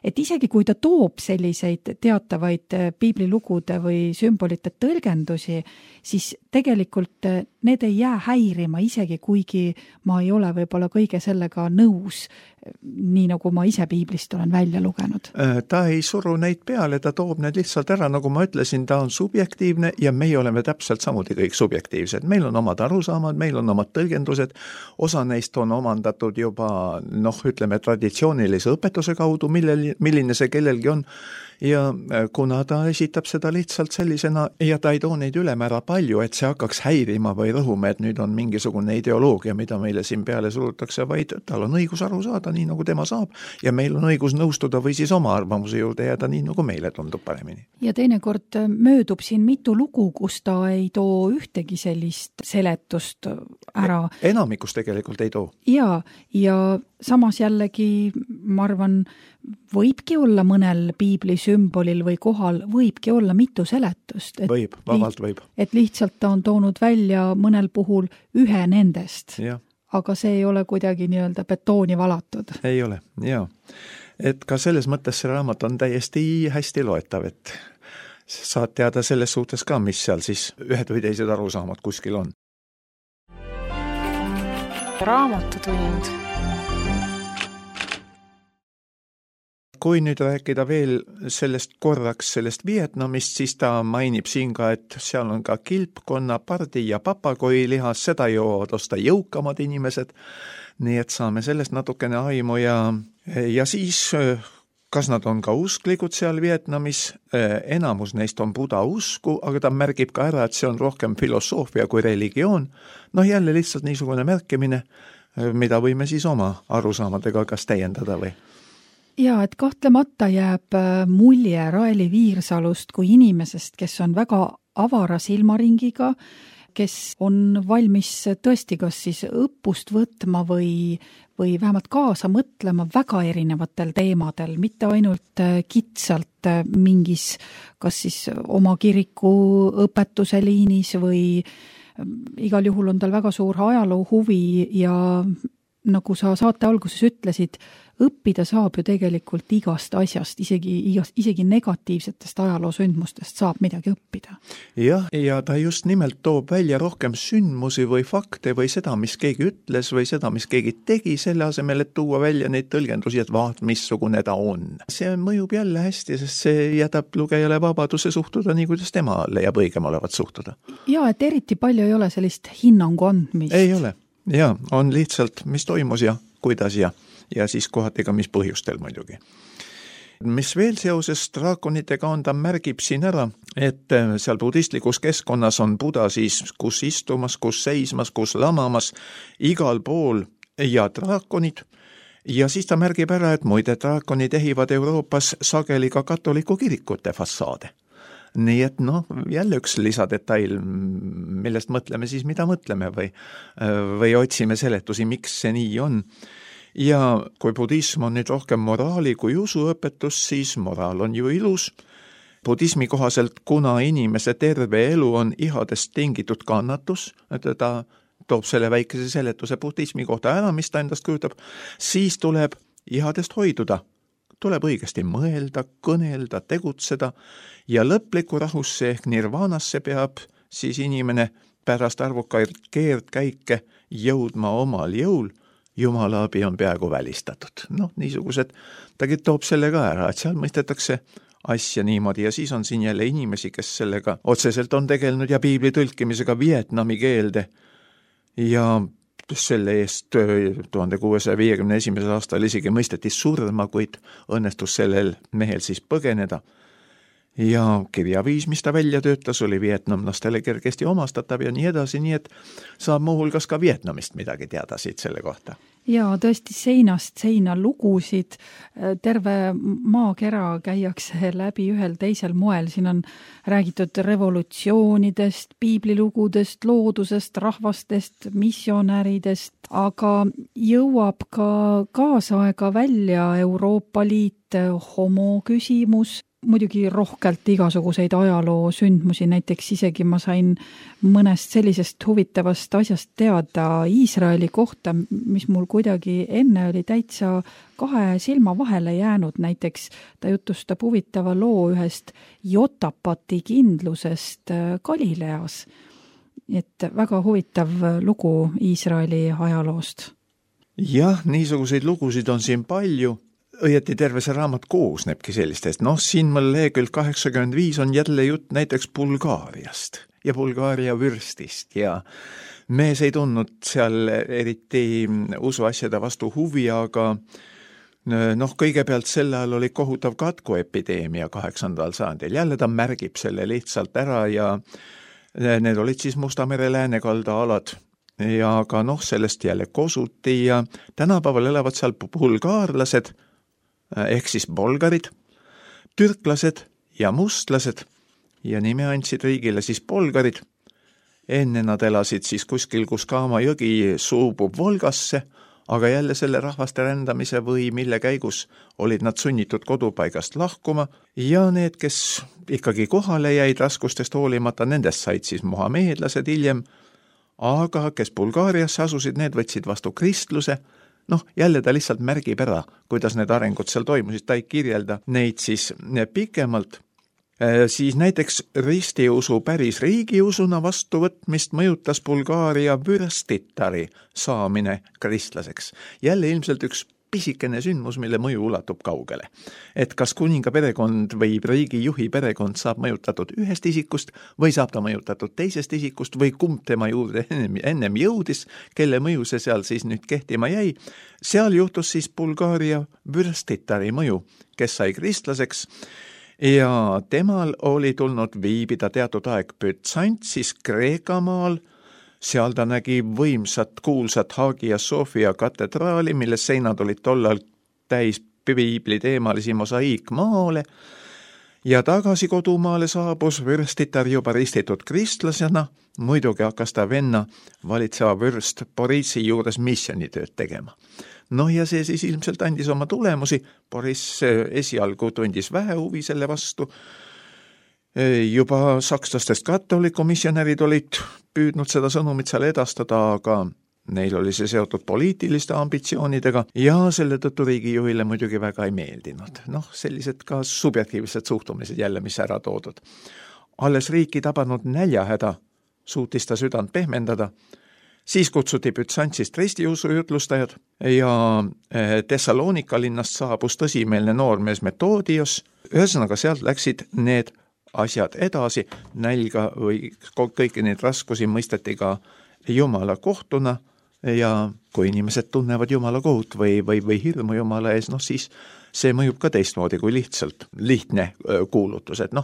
Speaker 2: et isegi kui ta toob selliseid teatavaid piiblilugude või sümbolite tõlgendusi, siis tegelikult need ei jää häirima, isegi kuigi ma ei ole võib-olla kõige sellega nõus, nii nagu ma ise piiblist olen välja lugenud.
Speaker 3: Ta ei suru neid peale, ta toob need lihtsalt ära, nagu ma ütlesin, ta on subjektiivne ja meie oleme täpselt samuti kõik subjektiivsed. Meil on omad arusaamad, meil on omad tõlgendused, osa neist on omandatud juba, ütleme, traditsioonilise õpetuse kaudu, milline see kellelgi on. Ja kuna ta esitab seda lihtsalt sellisena ja ta ei too neid ülemäära palju, et see hakkaks häirima või rõhume, et nüüd on mingisugune ideoloogia, mida meile siin peale surutakse, vaid tal on õigus aru saada nii, nagu tema saab ja meil on õigus nõustuda või siis oma arvamuse juurde jääda nii, nagu meile tundub paremini.
Speaker 2: Ja teinekord möödub siin mitu lugu, kus ta ei too ühtegi sellist seletust ära.
Speaker 3: Enamikus tegelikult ei too.
Speaker 2: Ja samas jällegi, ma arvan, võibki olla mõnel piibli sümbolil või kohal, võibki olla mitu seletust.
Speaker 3: Võib, vabalt võib.
Speaker 2: Et lihtsalt ta on toonud välja mõnel puhul ühe nendest, aga see ei ole kuidagi nii-öelda betooni valatud.
Speaker 3: Ei ole, Et ka selles mõttes see raamat on täiesti hästi loetav, et saad teada selles suhtes ka, mis seal siis ühed või teised arusaamad kuskil on.
Speaker 4: Raamatutund.
Speaker 3: Kui nüüd rääkida veel sellest Vietnamist, siis ta mainib siin ka, et seal on ka kilpkonna, pardi ja papagoilihas, seda joovad osta jõukamad inimesed, nii et saame sellest natukene aimu ja siis kas nad on ka usklikud seal Vietnamis, enamus neist on Buda usku, aga ta märgib ka ära, et see on rohkem filosoofia kui religioon, jälle lihtsalt niisugune märkimine, mida võime siis oma arusaamadega kas täiendada või?
Speaker 2: Ja, et kahtlemata jääb mulje Raeli Viirsalust kui inimesest, kes on väga avara silmaringiga, kes on valmis tõesti kas siis õppust võtma või vähemalt kaasa mõtlema väga erinevatel teemadel, mitte ainult kitsalt mingis kas siis oma kiriku õpetuse liinis või igal juhul on tal väga suur ajaloo huvi ja nagu sa saate alguses ütlesid, õppida saab ju tegelikult igast asjast, isegi negatiivsetest ajaloosündmustest saab midagi õppida.
Speaker 3: Jah, ja ta just nimelt toob välja rohkem sündmusi või fakte või seda, mis keegi ütles või seda, mis keegi tegi, selle asemel, et tuua välja neid tõlgendusi, et vaat, missugune ta on. See mõjub jälle hästi, sest see jätab lugejale vabaduse suhtuda nii, kuidas tema leiab õigem olevat suhtuda.
Speaker 2: Ja, et eriti palju ei ole sellist hinnangu andmist.
Speaker 3: Ei ole. Ja, on lihtsalt, mis toimus ja kuidas ja siis kohati ka mis põhjustel muidugi. Mis veel seoses draakonitega on, ta märgib siin ära, et seal budistlikus keskkonnas on Buda siis kus istumas, kus seismas, kus lamamas, igal pool ja draakonid. Ja siis ta märgib ära, et muide draakonid ehivad Euroopas sageli ka katoliku kirikute fassaade. Nii et jälle üks lisadetail, millest mõtleme siis, mida mõtleme või otsime seletusi, miks see nii on. Ja kui budism on nüüd rohkem moraali kui usuõpetus, siis moraal on ju ilus. Budismi kohaselt, kuna inimese terve elu on ihadest tingitud kannatus, et ta toob selle väikese seletuse budismi kohta ära, mis ta endast kujutab, siis tuleb ihadest hoiduda. Tuleb õigesti mõelda, kõnelda, tegutseda ja lõpliku rahusse ehk nirvanasse peab siis inimene pärast arvukaid keerdkäike jõudma omal jõul. Jumala abi on peaaegu välistatud. Niisugused, tagi toob selle ka ära, et seal mõistetakse asja niimoodi ja siis on siin jälle inimesi, kes sellega otseselt on tegelenud ja piibli tõlkimisega vietnami keelde ja selle eest 1651. aastal isegi mõisteti surma, kuid õnnestus sellel mehel siis põgeneda. Ja kirjaviis, mis ta välja töötas, oli vietnamlastele kergesti omastatav ja nii edasi, nii et saab muuhulgas ka Vietnamist midagi teada siit selle kohta.
Speaker 2: Ja tõesti seinast seina lugusid, terve maakera käiakse läbi ühel teisel moel, siin on räägitud revolutsioonidest, piiblilugudest, loodusest, rahvastest, missionäridest, aga jõuab ka kaasaega välja Euroopa Liit, homoküsimus, muidugi rohkelt igasuguseid ajaloo sündmusi, näiteks isegi ma sain mõnest sellisest huvitavast asjast teada Iisraeli kohta, mis mul kuidagi enne oli täitsa kahe silma vahele jäänud, näiteks ta jutustab huvitava loo ühest Jotapati kindlusest Galileas. Et väga huvitav lugu Iisraeli ajaloost.
Speaker 3: Jah, niisuguseid lugusid on siin palju. Õieti terve see raamat koosnebki sellistest. Siin mul lehekülg 85 on jälle jutt näiteks Bulgaariast ja Bulgaaria vürstist ja mees ei tundnud seal eriti usuasjade vastu huvi, aga kõigepealt selle ajal oli kohutav katkuepideemia 8. sajandil. Jälle ta märgib selle lihtsalt ära ja need olid siis Musta mere läänekalda alad. Ja aga sellest jälle kosuti ja tänapäeval elavad seal bulgaarlased, ehk siis bolgarid, türklased ja mustlased ja nime andsid riigile siis bolgarid. Enne nad elasid siis kuskil, kus Kaama jõgi suubub Volgasse, aga jälle selle rahvaste rändamise või mille käigus olid nad sunnitud kodupaigast lahkuma ja need, kes ikkagi kohale jäid raskustest hoolimata, nendest said siis mohameedlased hiljem, aga kes Bulgaariasse asusid, need võtsid vastu kristluse. Jälle ta lihtsalt märgib ära, kuidas need arengud seal toimusid, ta ei kirjelda neid siis pikemalt. Siis näiteks ristiusu päris riigiusuna vastuvõtmist mõjutas Bulgaaria vürstitari saamine kristlaseks. Jälle ilmselt üks pisikene sündmus, mille mõju ulatub kaugele. Et kas kuninga perekond või riigijuhi perekond saab mõjutatud ühest isikust või saab ta mõjutatud teisest isikust või kumb tema juurde ennem jõudis, kelle mõju see seal siis nüüd kehtima jäi. Seal juhtus siis Bulgaaria vürstitari mõju, kes sai kristlaseks ja temal oli tulnud viibida teatud aeg Bütsantsis Kreekamaal. Seal ta nägi võimsat kuulsat Hagia Sophia katedraali, mille seinad olid tollal täis piibli teemalisi mosaiikmaale ja tagasi kodumaale saabus vürstitar juba ristitud kristlasena. Muidugi hakkas ta venna valitseva vürst Borissi juures missionitööd tegema. Ja see siis ilmselt andis oma tulemusi. Boriss esialgu tundis vähe huvi selle vastu. Juba sakslastest katoliku missionärid olid püüdnud seda sõnumit seal edastada, aga neil oli see seotud poliitiliste ambitsioonidega ja selle tõttu riigijuhile muidugi väga ei meeldinud. Sellised ka subjektiivsed suhtumised jälle, mis ära toodud. Alles riiki tabanud näljahäda suutis ta südant pehmendada, siis kutsuti Bütsantsist ristiusu jutlustajad ja Thessalonika linnast saabus tõsimeelne noormees Metoodios. Ühesõnaga sealt läksid need asjad edasi, nälga või kõiki neid raskusi mõisteti ka Jumala kohtuna ja kui inimesed tunnevad Jumala kohut või hirmu Jumala ees, siis see mõjub ka teistmoodi kui lihtne kuulutus, et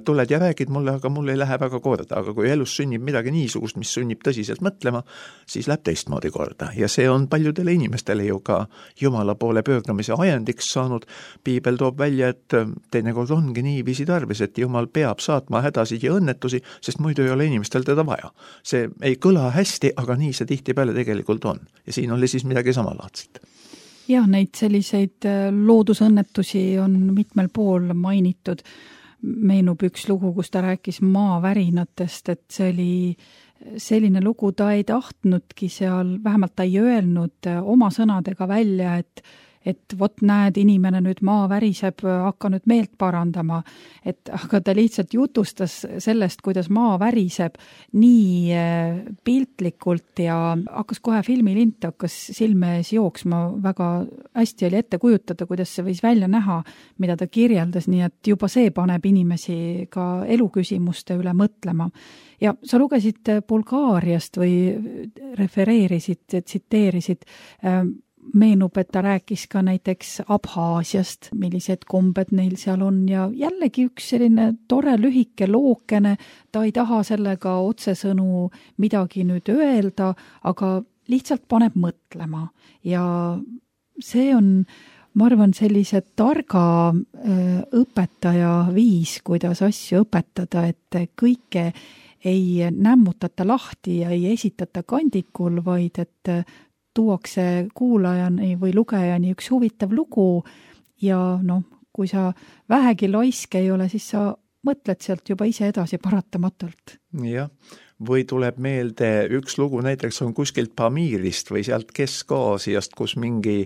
Speaker 3: tuled ja räägid mulle, aga mul ei lähe väga korda, aga kui elus sünnib midagi niisugust, mis sünnib tõsiselt mõtlema, siis läheb teistmoodi korda ja see on paljudele inimestele ju ka Jumala poole pöördumise ajendiks saanud. Piibel toob välja, et teinekord ongi niiviisi tarvis, et Jumal peab saatma hädasid ja õnnetusi, sest muidu ei ole inimestel teda vaja. See ei kõla hästi, aga nii see tihtipeale tegelikult on ja siin oli siis midagi samalaadset.
Speaker 2: Jah, neid selliseid loodusõnnetusi on mitmel pool mainitud. Meenub üks lugu, kus ta rääkis maavärinatest, et see oli selline lugu, ta ei tahtnudki seal, vähemalt ta ei öelnud oma sõnadega välja, et vot näed, inimene nüüd maa väriseb, hakka nüüd meelt parandama. Aga ta lihtsalt jutustas sellest, kuidas maa väriseb nii piltlikult ja hakkas kohe filmilint, hakkas silme ees jooksma, väga hästi oli ette kujutada, kuidas see võis välja näha, mida ta kirjeldas, nii et juba see paneb inimesi ka eluküsimuste üle mõtlema. Ja sa lugesid Bulgaariast või refereerisid, tsiteerisid, meenub, et ta rääkis ka näiteks Abhaasiast, millised kombed neil seal on ja jällegi üks selline tore lühike lookene, ta ei taha sellega otsesõnu midagi nüüd öelda, aga lihtsalt paneb mõtlema ja see on, ma arvan, sellise targa õpetaja viis, kuidas asju õpetada, et kõike ei nämmutata lahti ja ei esitata kandikul, vaid et tuuakse kuulajani või lugejani üks huvitav lugu ja kui sa vähegi laisk ei ole, siis sa mõtled sealt juba ise edasi paratamatult.
Speaker 3: Jah, või tuleb meelde üks lugu, näiteks on kuskilt Pamirist või sealt Kesk-Aasiast, kus mingi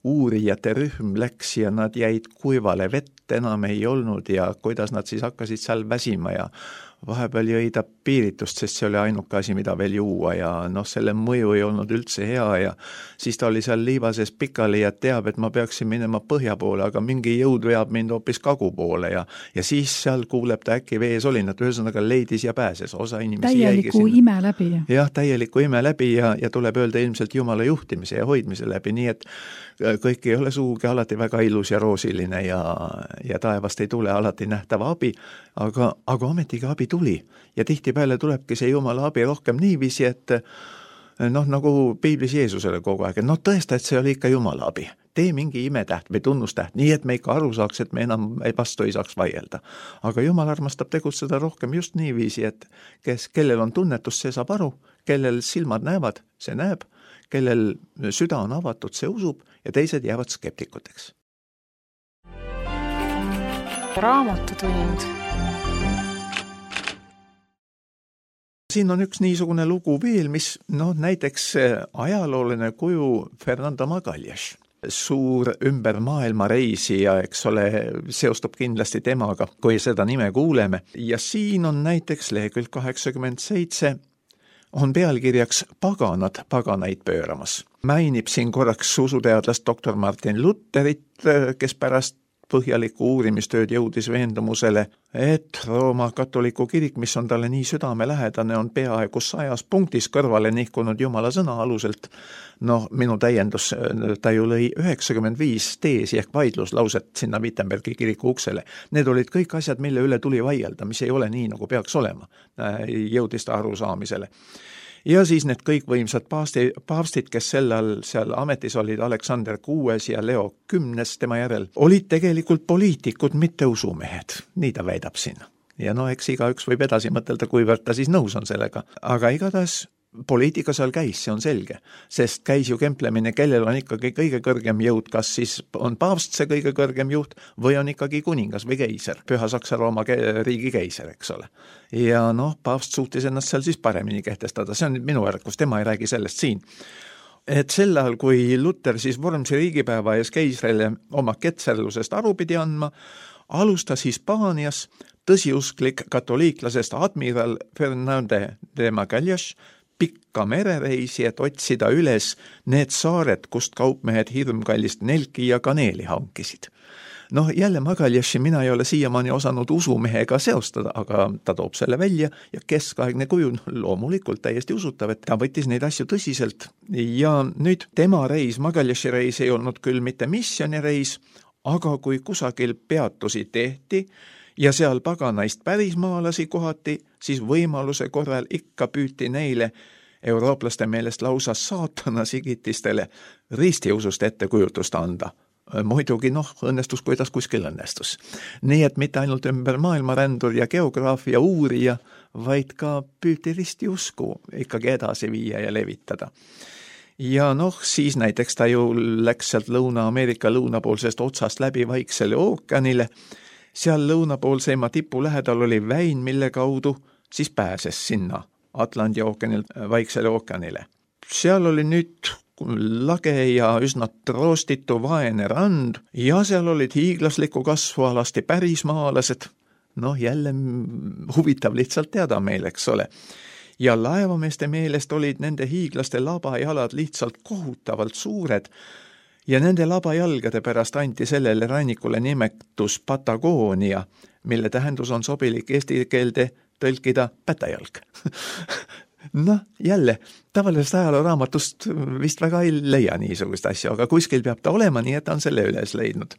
Speaker 3: uurijate rühm läks ja nad jäid kuivale, vett enam ei olnud ja kuidas nad siis hakkasid seal väsima ja vahepeal jõi ta piiritust, sest see oli ainuke asi, mida veel juua ja selle mõju ei olnud üldse hea ja siis ta oli seal liivases pikali ja teab, et ma peaksin minema põhja poole, aga mingi jõud veab mind hoopis kagu poole ja siis seal kuuleb ta äkki vees olinat, ühesõnaga leidis ja pääses, osa inimesi
Speaker 2: täieliku ime läbi.
Speaker 3: Jah, täieliku ime läbi ja tuleb öelda ilmselt Jumala juhtimise ja hoidmise läbi, nii et kõik ei ole suugi alati väga ilus ja roosiline ja taevast ei tule alati nähtava abi, aga ometigi abi tuli ja tihtipeale tulebki see Jumala abi rohkem niiviisi, et nagu Piiblis Jeesusele kogu aeg, et tõesta, et see oli ikka Jumala abi. Tee mingi imetäht või tunnustäht, nii et me ikka aru saaks, et me enam vastu ei saaks vaielda. Aga Jumal armastab tegutseda rohkem just niiviisi, et kellel on tunnetus, see saab aru, kellel silmad näevad, see näeb, kellel süda on avatud, see usub ja teised jäävad skeptikuteks.
Speaker 4: Raamatutund.
Speaker 3: Siin on üks niisugune lugu veel, mis näiteks ajalooline kuju Fernando Magalhães, suur ümber maailma reisija, eks ole, seostub kindlasti temaga, kui seda nime kuuleme. Ja siin on näiteks lehekülg 87 on pealkirjaks Paganad paganaid pööramas. Mainib siin korraks usuteadlast doktor Martin Lutherit, kes pärast põhjaliku uurimistööd jõudis veendumusele, et Rooma katoliku kirik, mis on talle nii südamelähedane, on peaaegu 100 punktis kõrvale nihkunud Jumala sõna aluselt. Minu täiendus, ta ju lõi 95 teesi ehk vaidluslauset sinna Wittenbergi kiriku uksele. Need olid kõik asjad, mille üle tuli vaielda, mis ei ole nii, nagu peaks olema, jõudis ta arusaamisele. Ja siis need kõik võimsad paavstid, kes seal ametis olid, Aleksander 6 ja Leo 10 tema järel, olid tegelikult poliitikud, mitte usumehed. Nii ta väidab siin. Ja eks igaüks võib edasi mõtelda, kuivõrd ta siis nõus on sellega. Aga igatahes poliitika seal käis, see on selge, sest käis ju kemplemine, kellel on ikkagi kõige kõrgem jõud, kas siis on paavst see kõige kõrgem juht või on ikkagi kuningas või keiser, Püha Saksa-Rooma riigi keiser, eks ole. Ja paavst suutis ennast seal siis paremini kehtestada, see on minu ärkus, tema ei räägi sellest siin. Et sel ajal, kui Luther siis Vormsi riigipäeva ees keisrile oma ketserlusest aru pidi andma, alustas Hispaanias tõsiusklik katoliiklasest admiral Fernande de Magallanes pikka merereisi, et otsida üles need saared, kust kaupmehed hirmkallist nelki ja kaneeli hankisid. Jälle Magallasi mina ei ole siiamaani osanud usumehega seostada, aga ta toob selle välja ja keskaegne kuju loomulikult täiesti usutav, et ta võttis neid asju tõsiselt. Ja nüüd tema reis, Magallasi reis ei olnud küll mitte missioonireis, aga kui kusagil peatusi tehti ja seal paganaist pärismaalasi kohati, siis võimaluse korral ikka püüti neile eurooplaste meelest lausa saatana sigitistele ristiusust ettekujutust anda. Muidugi õnnestus, kuidas kuskil õnnestus. Nii et mitte ainult ümber maailmarändur ja geograafia uurija, vaid ka püüti ristiusku ikkagi edasi viia ja levitada. Ja siis näiteks ta ju läks sealt Lõuna-Ameerika lõunapoolsest otsast läbi Vaiksele ookeanile. Seal lõunapoolseima tipu lähedal oli väin, mille kaudu siis pääses sinna Atlandi ookeanilt Vaiksele ookeanile. Seal oli nüüd lage ja üsna troostitu vaene rand ja seal olid hiiglasliku kasvu alasti pärismaalased. Jälle huvitav lihtsalt teada meil, eks ole. Ja laevameeste meelest olid nende hiiglaste labajalad lihtsalt kohutavalt suured ja nende labajalgade pärast anti sellele rannikule nimetus Patagonia, mille tähendus on sobilik eesti keelde tõlkida pätajalg. Jälle, tavalisest ajalooraamatust vist väga ei leia niisugust asju, aga kuskil peab ta olema, nii et ta on selle üles leidnud.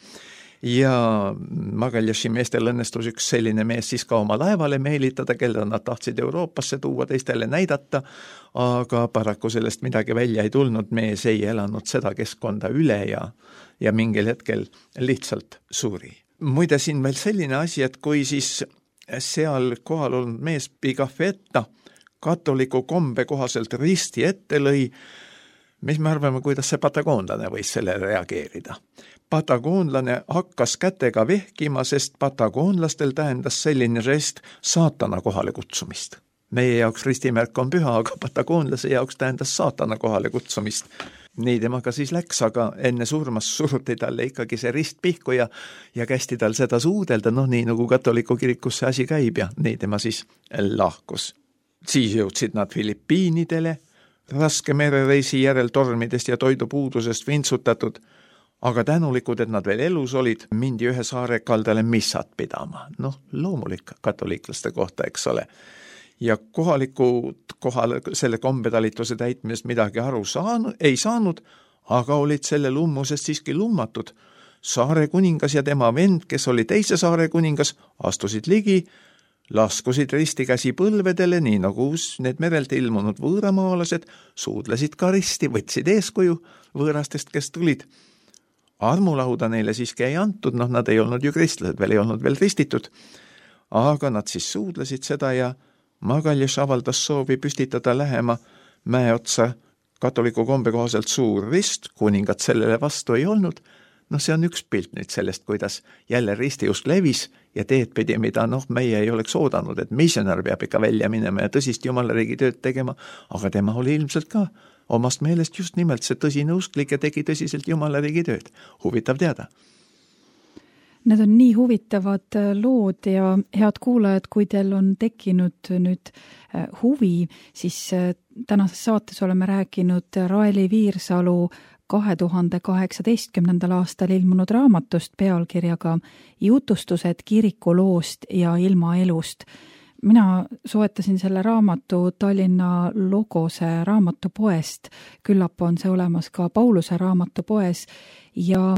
Speaker 3: Ja Magallasi meestel õnnestus üks selline mees siis ka oma laevale meelitada, kelle nad tahtsid Euroopasse tuua, teistele näidata, aga paraku sellest midagi välja ei tulnud, mees ei elanud seda keskkonda üle ja mingil hetkel lihtsalt suri. Muide siin veel selline asi, et kui siis seal kohal olnud mees Pigafetta katoliku kombe kohaselt risti ette lõi, mis me arvame, kuidas see patagoonlane võis selle reageerida. Patagoonlane hakkas kätega vehkima, sest patagoonlastel tähendas selline žest saatana kohale kutsumist. Meie jaoks ristimärk on püha, aga patagoonlase jaoks tähendas saatana kohale kutsumist. Nii temaga siis läks, aga enne surmas suruti talle ikkagi see rist pihku ja kästi tal seda suudelda, nii nagu katoliku kirikus see asi käib ja nii tema siis lahkus. Siis jõudsid nad Filipiinidele, raske merereisi järel tormidest ja toidupuudusest vintsutatud, aga tänulikud, et nad veel elus olid, mindi ühe saare kaldale missat pidama. Loomulik katoliiklaste kohta, eks ole. Ja kohalikud kohal selle kombetalituse täitmisest midagi aru ei saanud, aga olid selle lummusest siiski lummatud. Saare kuningas ja tema vend, kes oli teise saare kuningas, astusid ligi, laskusid ristikäsi põlvedele, nii nagu need merelt ilmunud võõramaalased, suudlesid ka risti, võtsid eeskuju võõrastest, kes tulid. Armulauda neile siiski ei antud, nad ei olnud ju kristlased, veel ei olnud veel ristitud, aga nad siis suudlesid seda ja Magallas avaldas soovi püstitada lähema mäe otsa katoliku kombe kohaselt suur rist, kuningat sellele vastu ei olnud. See on üks pilt nüüd sellest, kuidas jälle ristiusk levis ja teed pidi, mida meie ei oleks oodanud, et missionär peab ikka välja minema ja tõsist jumalariigi tööd tegema, aga tema oli ilmselt ka omast meelest just nimelt see tõsine usklik ja tegi tõsiselt jumalariigi tööd. Huvitav teada.
Speaker 2: Need on nii huvitavad lood ja head kuulajad, kui teil on tekkinud nüüd huvi, siis tänases saates oleme rääkinud Raeli Viirsalu 2018. aastal ilmunud raamatust pealkirjaga Jutustused kirikuloost ja ilmaelust. Mina soetasin selle raamatu Tallinna Logose raamatupoest, küllap on see olemas ka Pauluse raamatupoes ja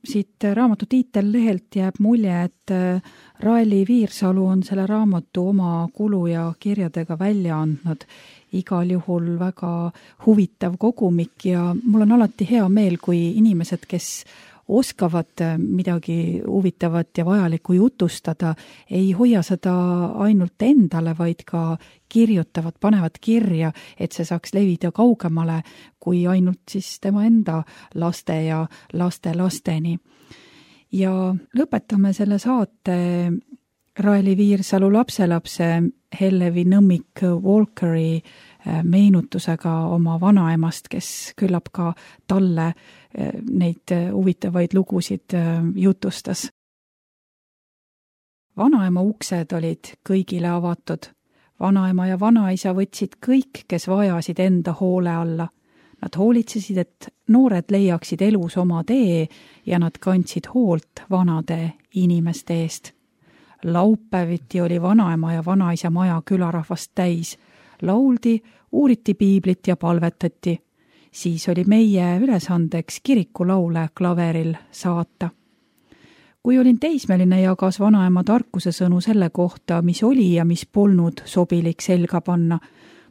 Speaker 2: siit raamatu tiitellehelt jääb mulje, et Raeli Viirsalu on selle raamatu oma kulu ja kirjadega välja andnud. Igal juhul väga huvitav kogumik ja mul on alati hea meel, kui inimesed, kes oskavad midagi huvitavat ja vajalikku jutustada, ei hoia seda ainult endale, vaid ka kirjutavad, panevad kirja, et see saaks levida kaugemale kui ainult siis tema enda laste ja laste-lasteni. Ja lõpetame selle saate Raeli Viirsalu lapselapse Hellevi Nõmmik Walkeri meenutusega oma vanaemast, kes küllap ka talle neid huvitavaid lugusid jutustas. Vanaema uksed olid kõigile avatud. Vanaema ja vanaisa võtsid kõik, kes vajasid enda hoole alla. Nad hoolitsesid, et noored leiaksid elus oma tee ja nad kandsid hoolt vanade inimeste eest. Laupäeviti oli vanaema ja vanaisa maja külarahvast täis. Lauldi, uuriti piiblit ja palvetati. Siis oli meie ülesandeks kirikulaule klaveril saata. Kui olin teismeline, jagas vanaema tarkuse sõnu selle kohta, mis oli ja mis polnud sobilik selga panna.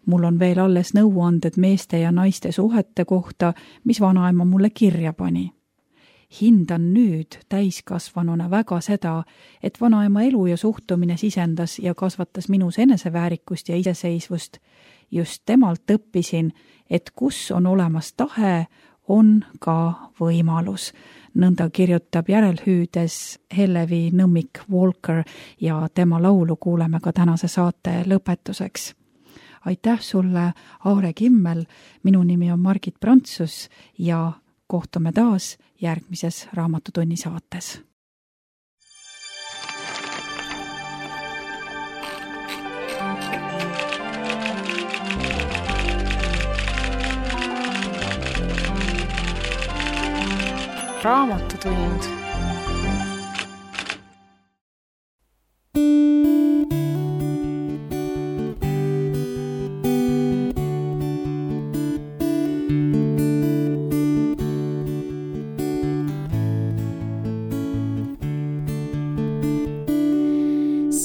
Speaker 2: Mul on veel alles nõuanded meeste ja naiste suhete kohta, mis vanaema mulle kirja pani. Hindan nüüd täiskasvanuna väga seda, et vanaema elu ja suhtumine sisendas ja kasvatas minus eneseväärikust ja iseseisvust. Just temalt õppisin, et kus on olemas tahe, on ka võimalus. Nõnda kirjutab järelhüüdes Hellevi Nõmmik Walker ja tema laulu kuuleme ka tänase saate lõpetuseks. Aitäh sulle, Aare Kimmel, minu nimi on Margit Prantsus ja kohtume taas järgmises Raamatutunni saates.
Speaker 4: Raamatutund.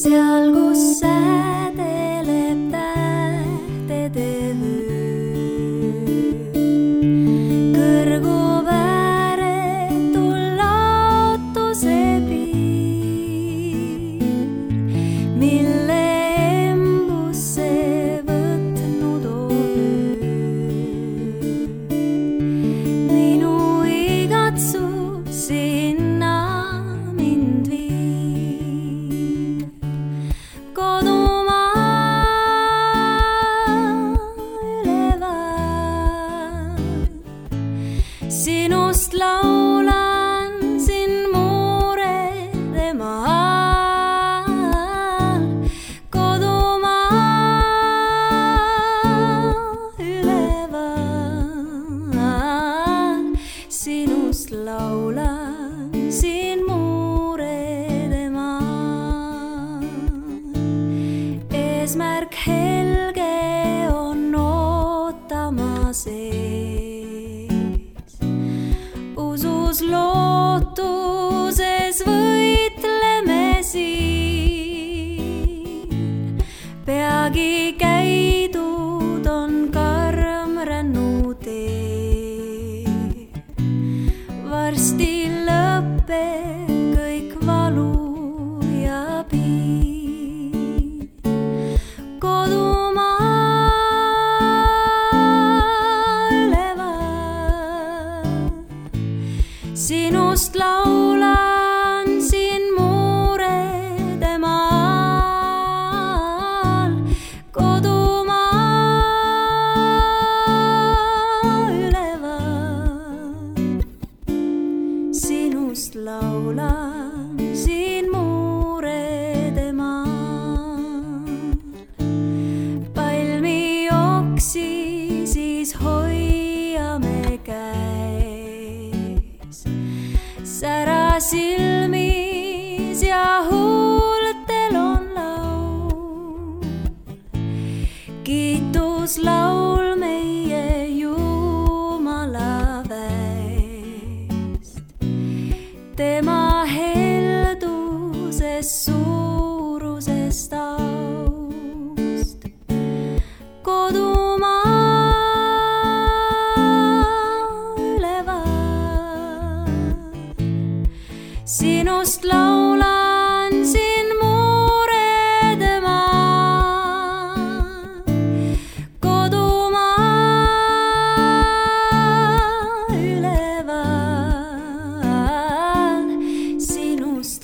Speaker 1: Seal, kus säädeleb tähtede vöö, kõrgub ääretul laotuse piir, mille embusse võtnud on öö. Minu igatsus sinna mind viib. Kodumaa üleval, sinust laulan siin muurede maal. Kodumaa üleval, sinust laulan siin muurede maal. Eesmärk helge on ootamas ees. Usus lootuses võitleme siin. Peagi käidud on karm rännutee. Varsti lõpeb kõik valu ja piin. Kodu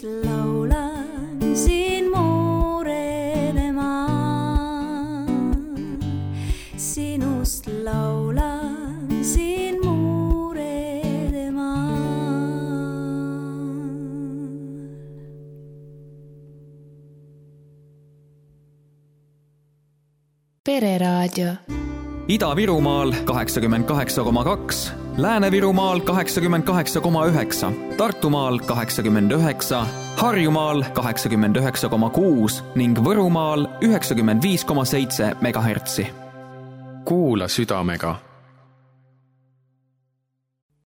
Speaker 1: sinust laulan siin muurede maal. Sinust laulan siin muurede maal.
Speaker 5: Pereraadio.
Speaker 6: Ida-Virumaal 88,2, Lääne-Virumaal 88,9, Tartumaal 89, Harjumaal 89,6 ning Võrumaal 95,7 megahertsi.
Speaker 7: Kuula südamega